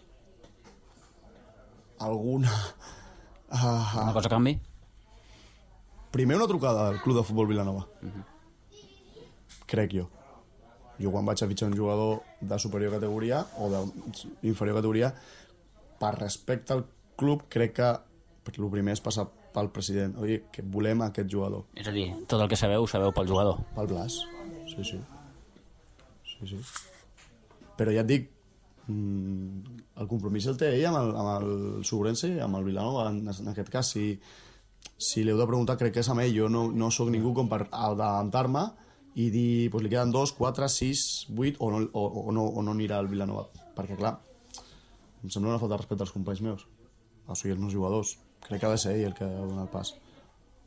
Speaker 7: alguna...
Speaker 8: Una cosa a canvi?
Speaker 7: Primer una trucada al Club de Futbol Vilanova. Crec jo. Jo quan vaig a fitxar un jugador de superior categoria o d'inferior categoria, per respecte al club, crec que el primer és passar pel president. Oi, que volem aquest jugador.
Speaker 8: És a dir, tot el que sabeu pel jugador.
Speaker 7: Pel Blas, sí. Però ja et dic, el compromís el té ell amb el Sobrense i amb el Vilanova. En aquest cas, si l'heu de preguntar, crec que és amb ell. Jo no sóc ningú com per adelantar-me i dir, li queden 2, 4, 6, 8 o no anirà al Vilanova. Perquè, clar, em sembla una falta de respecte als companys meus. O sigui, els meus jugadors. Crec que ha de ser ell el que ha donat el pas.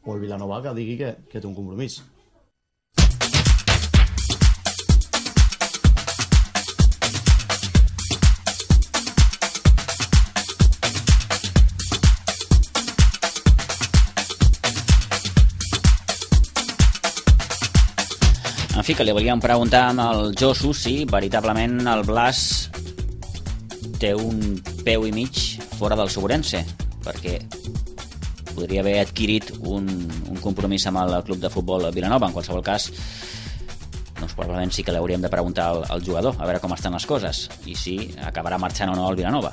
Speaker 7: O el Vilanova que digui que té un compromís.
Speaker 2: En fi, que li volíem preguntar al Josu si veritablement el Blas té un peu i mig fora del Sobrense, perquè podria haver adquirit un compromís amb el club de futbol Vilanova. En qualsevol cas, doncs probablement sí que l'hauríem de preguntar al jugador, a veure com estan les coses, i si acabarà marxant o no al Vilanova.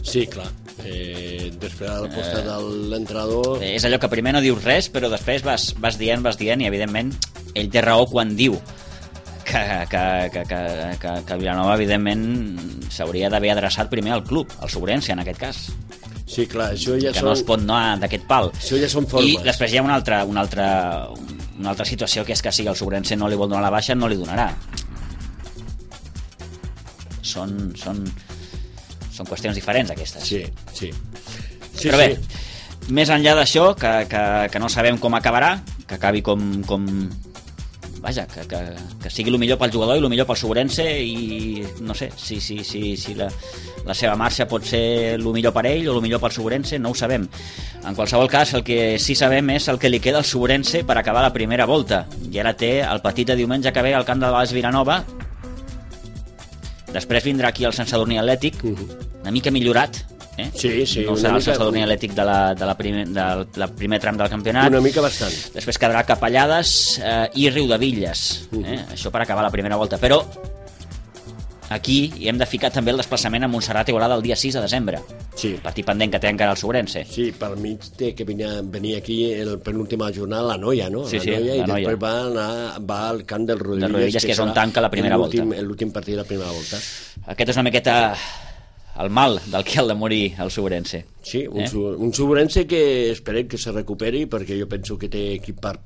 Speaker 4: Sí, clar. Després de l'aposta de l'entrenador...
Speaker 2: És allò que primer no dius res, però després vas dient, i evidentment ell té raó quan diu que Vilanova, evidentment, s'hauria d'haver adreçat primer al club, al Sobrense, en aquest cas.
Speaker 4: Sí, clar, això ja
Speaker 2: que no es pot anar d'aquest pal.
Speaker 4: Això ja són formes.
Speaker 2: I després hi ha una altra situació, que és que si el Sobrense no li vol donar la baixa, no li donarà. Són qüestions diferents, aquestes.
Speaker 4: Sí.
Speaker 2: Però bé, més enllà d'això, que no sabem com acabarà, que acabi com vaja, que sigui el millor pel jugador i el millor pel Sobrense, i no sé si la seva marxa pot ser el millor per ell o el millor pel Sobrense, no ho sabem. En qualsevol cas, el que sí sabem és el que li queda al Sobrense per acabar la primera volta, i ara té el partit de diumenge que ve al camp de Baix Vilanova. Després vindrà aquí el Sant Sadurní Atlètic, una mica millorat,
Speaker 4: Sí,
Speaker 2: no serà el Sant Sadurní Atlètic del primer tram del campionat.
Speaker 4: Una mica bastant.
Speaker 2: Després quedarà Capellades i Riudevilles, això per acabar la primera volta. Però aquí hi hem de ficar també el desplaçament a Montserrat i Igualada el dia 6 de desembre.
Speaker 4: Sí.
Speaker 2: Partit pendent que té encara el Sobrense.
Speaker 4: Sí, per mi té que venir aquí el penúltima jornada la Noia, no?
Speaker 2: Sí,
Speaker 4: la Noia,
Speaker 2: la
Speaker 4: i després va al camp del Riudevilles,
Speaker 2: que és on tanca la primera volta.
Speaker 4: L'últim partit de la primera volta.
Speaker 2: Aquest és una miqueta el mal del que ha de morir el Sobrense.
Speaker 4: Sí, un Sobrense que esperem que se recuperi, perquè jo penso que té equip per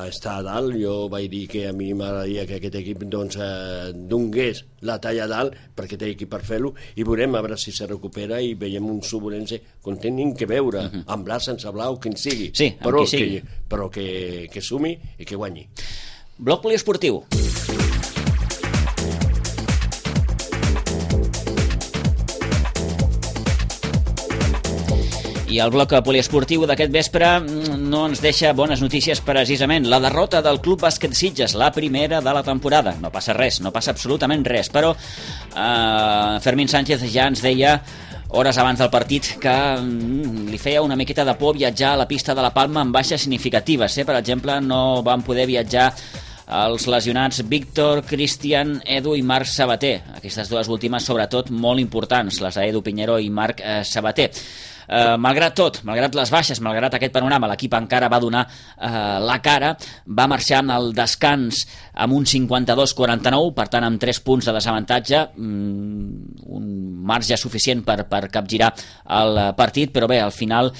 Speaker 4: estar a dalt. Jo vaig dir que a mi m'agradaria que aquest equip donés la talla a dalt, perquè té equip per fer-lo, i veurem a veure si se recupera i veiem un Sobrense com tenim que veure, amb blau, sense blau, quin sigui,
Speaker 2: sí,
Speaker 4: però,
Speaker 2: qui sigui.
Speaker 4: però que sumi i que guanyi.
Speaker 2: Bloc poliesportiu. I el bloc poliesportiu d'aquest vespre no ens deixa bones notícies precisament. La derrota del Club Bàsquet Sitges, la primera de la temporada. No passa res, no passa absolutament res, però Fermín Sánchez ja ens deia hores abans del partit que li feia una miqueta de por viatjar a la pista de la Palma amb baixes significatives. Per exemple, no van poder viatjar els lesionats Víctor, Cristian, Edu i Marc Sabater. Aquestes dues últimes, sobretot, molt importants, les d'Edu Piñero i Marc Sabater. Malgrat tot, malgrat les baixes, malgrat aquest panorama, l'equip encara va donar la cara, va marxar amb el descans amb un 52-49, per tant amb 3 punts de desavantatge, un marge suficient per capgirar el partit, però bé, al final,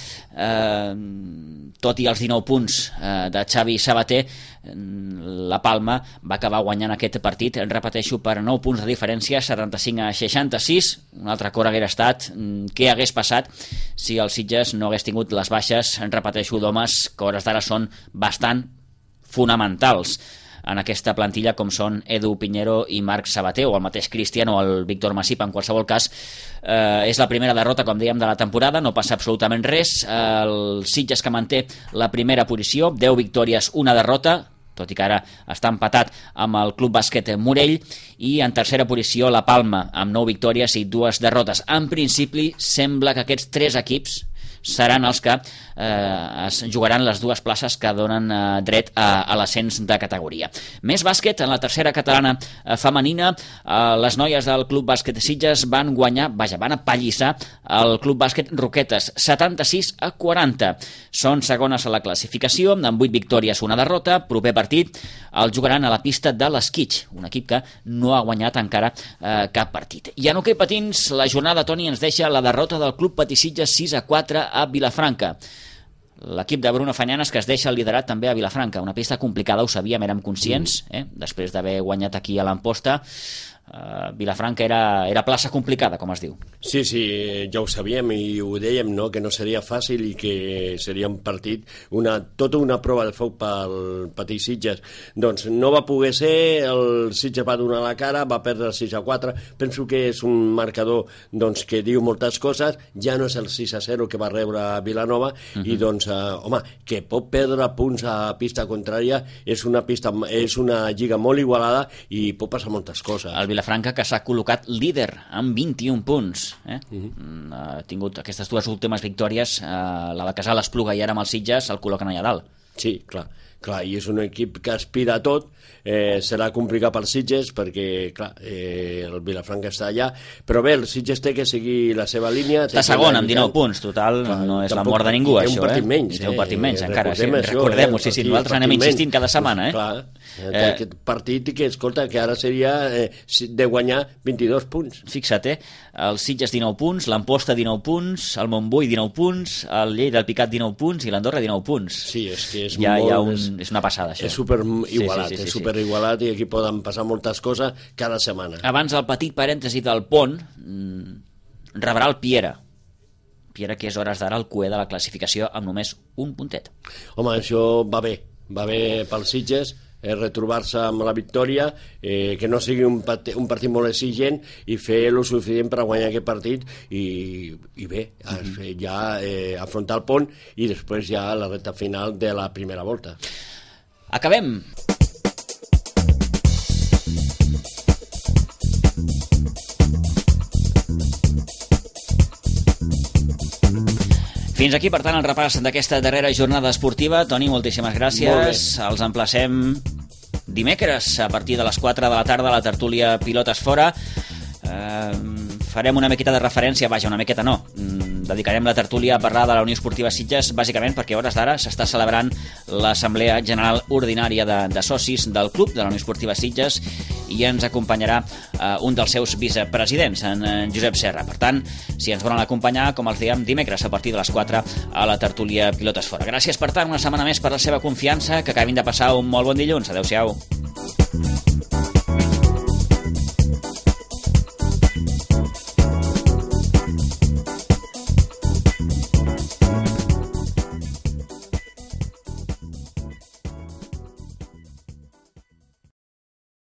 Speaker 2: tot i els 19 punts de Xavi Sabater, la Palma va acabar guanyant aquest partit, repeteixo, per 9 punts de diferència, 75-66. Un altre cor hagués estat què hagués passat si el Sitges no hagués tingut les baixes, repeteixo, d'homes que a hores d'ara són bastant fonamentals en aquesta plantilla, com són Edu Piñero i Marc Sabater, o el mateix Cristian o el Víctor Masip. En qualsevol cas, és la primera derrota, com dèiem, de la temporada, no passa absolutament res. El Sitges que manté la primera posició, 10 victòries, una derrota, tot i que ara està empatat amb el Club Bàsquet Morell, i en tercera posició la Palma, amb 9 victòries i 2 derrotes. En principi, sembla que aquests 3 equips seran els que es jugaran les 2 places que donen dret a l'ascens de categoria. Més bàsquet, en la tercera catalana femenina, les noies del Club Bàsquet Sitges van guanyar, van apallissar el Club Bàsquet Roquetes, 76-40. Són segones a la classificació, amb 8 victòries, una derrota. Proper partit el jugaran a la pista de l'Esquitx, un equip que no ha guanyat encara cap partit. I en hoquei patins, la jornada, Toni, ens deixa la derrota del Club Patí Sitges 6-4 a Vilafranca. L'equip de Bruno Fanyanes, que es deixa el liderat també a Vilafranca. Una pista complicada, ho sabíem, érem conscients, després d'haver guanyat aquí a l'Amposta. Vilafranca era plaça complicada, com es diu.
Speaker 4: Sí, ja ho sabíem i ho dèiem, no? Que no seria fàcil i que seria un partit, tota una prova de foc pel Patí Sitges. Doncs no va poder ser, el Sitges va donar la cara, va perdre 6-4. Penso que és un marcador que diu moltes coses, ja no és el 6-0 que va rebre Vilanova, i doncs, home, que pot perdre punts a pista contrària, és una lliga molt igualada i pot passar moltes coses.
Speaker 2: El Vilafranca, que s'ha col·locat líder amb 21 punts. Ha tingut aquestes 2 últimes victòries, la de Casal Espluga i ara amb el Sitges, el col·loquen allà dalt.
Speaker 4: Sí, clar. Clar, i és un equip que aspira a tot, serà complicat per Sitges perquè, clar, el Vilafranca està allà, però bé, el Sitges té que seguir la seva línia.
Speaker 2: Està segon amb 19 punts, total, clar, no és la mort de ningú, això,
Speaker 4: té un partit menys.
Speaker 2: Té un partit menys, encara, recordem-ho, sí, nosaltres anem insistint cada setmana,
Speaker 4: Clar, aquest partit que, escolta, que ara seria de guanyar 22 punts.
Speaker 2: Fixa't, el Sitges 19 punts, l'Amposta 19 punts, el Montbui 19 punts, el Lleida, el Picat 19 punts i l'Andorra 19 punts.
Speaker 4: Sí, és que és
Speaker 2: és una passada, això.
Speaker 4: És superigualat, és superigualat i aquí poden passar moltes coses cada setmana.
Speaker 2: Abans el petit parèntesi del Pont, rebrà el Piera, que és hores d'ara el cué de la classificació amb només un puntet.
Speaker 4: Home, això va bé pel Sitges, retrobar-se amb la victòria, que no sigui un partit molt exigent i fer el suficient per guanyar aquest partit i bé, ja afrontar el Pont i després ja la recta final de la primera volta.
Speaker 2: Acabem. Fins aquí, per tant, el repàs d'aquesta darrera jornada esportiva. Toni, moltíssimes gràcies. Els emplacem dimecres a partir de les 4 de la tarda a la tertúlia Pilotes Fora. Farem una miqueta de referència, una miqueta no, dedicarem la tertúlia a parlar de la Unió Esportiva Sitges, bàsicament perquè a hores d'ara s'està celebrant l'Assemblea General Ordinària de Socis del Club de la Unió Esportiva Sitges i ens acompanyarà un dels seus vicepresidents, en Josep Serra. Per tant, si ens volen acompanyar, com els dèiem, dimecres a partir de les 4 a la tertúlia Pilotes Fora. Gràcies, per tant, una setmana més per la seva confiança, que acabin de passar un molt bon dilluns. Adéu-siau.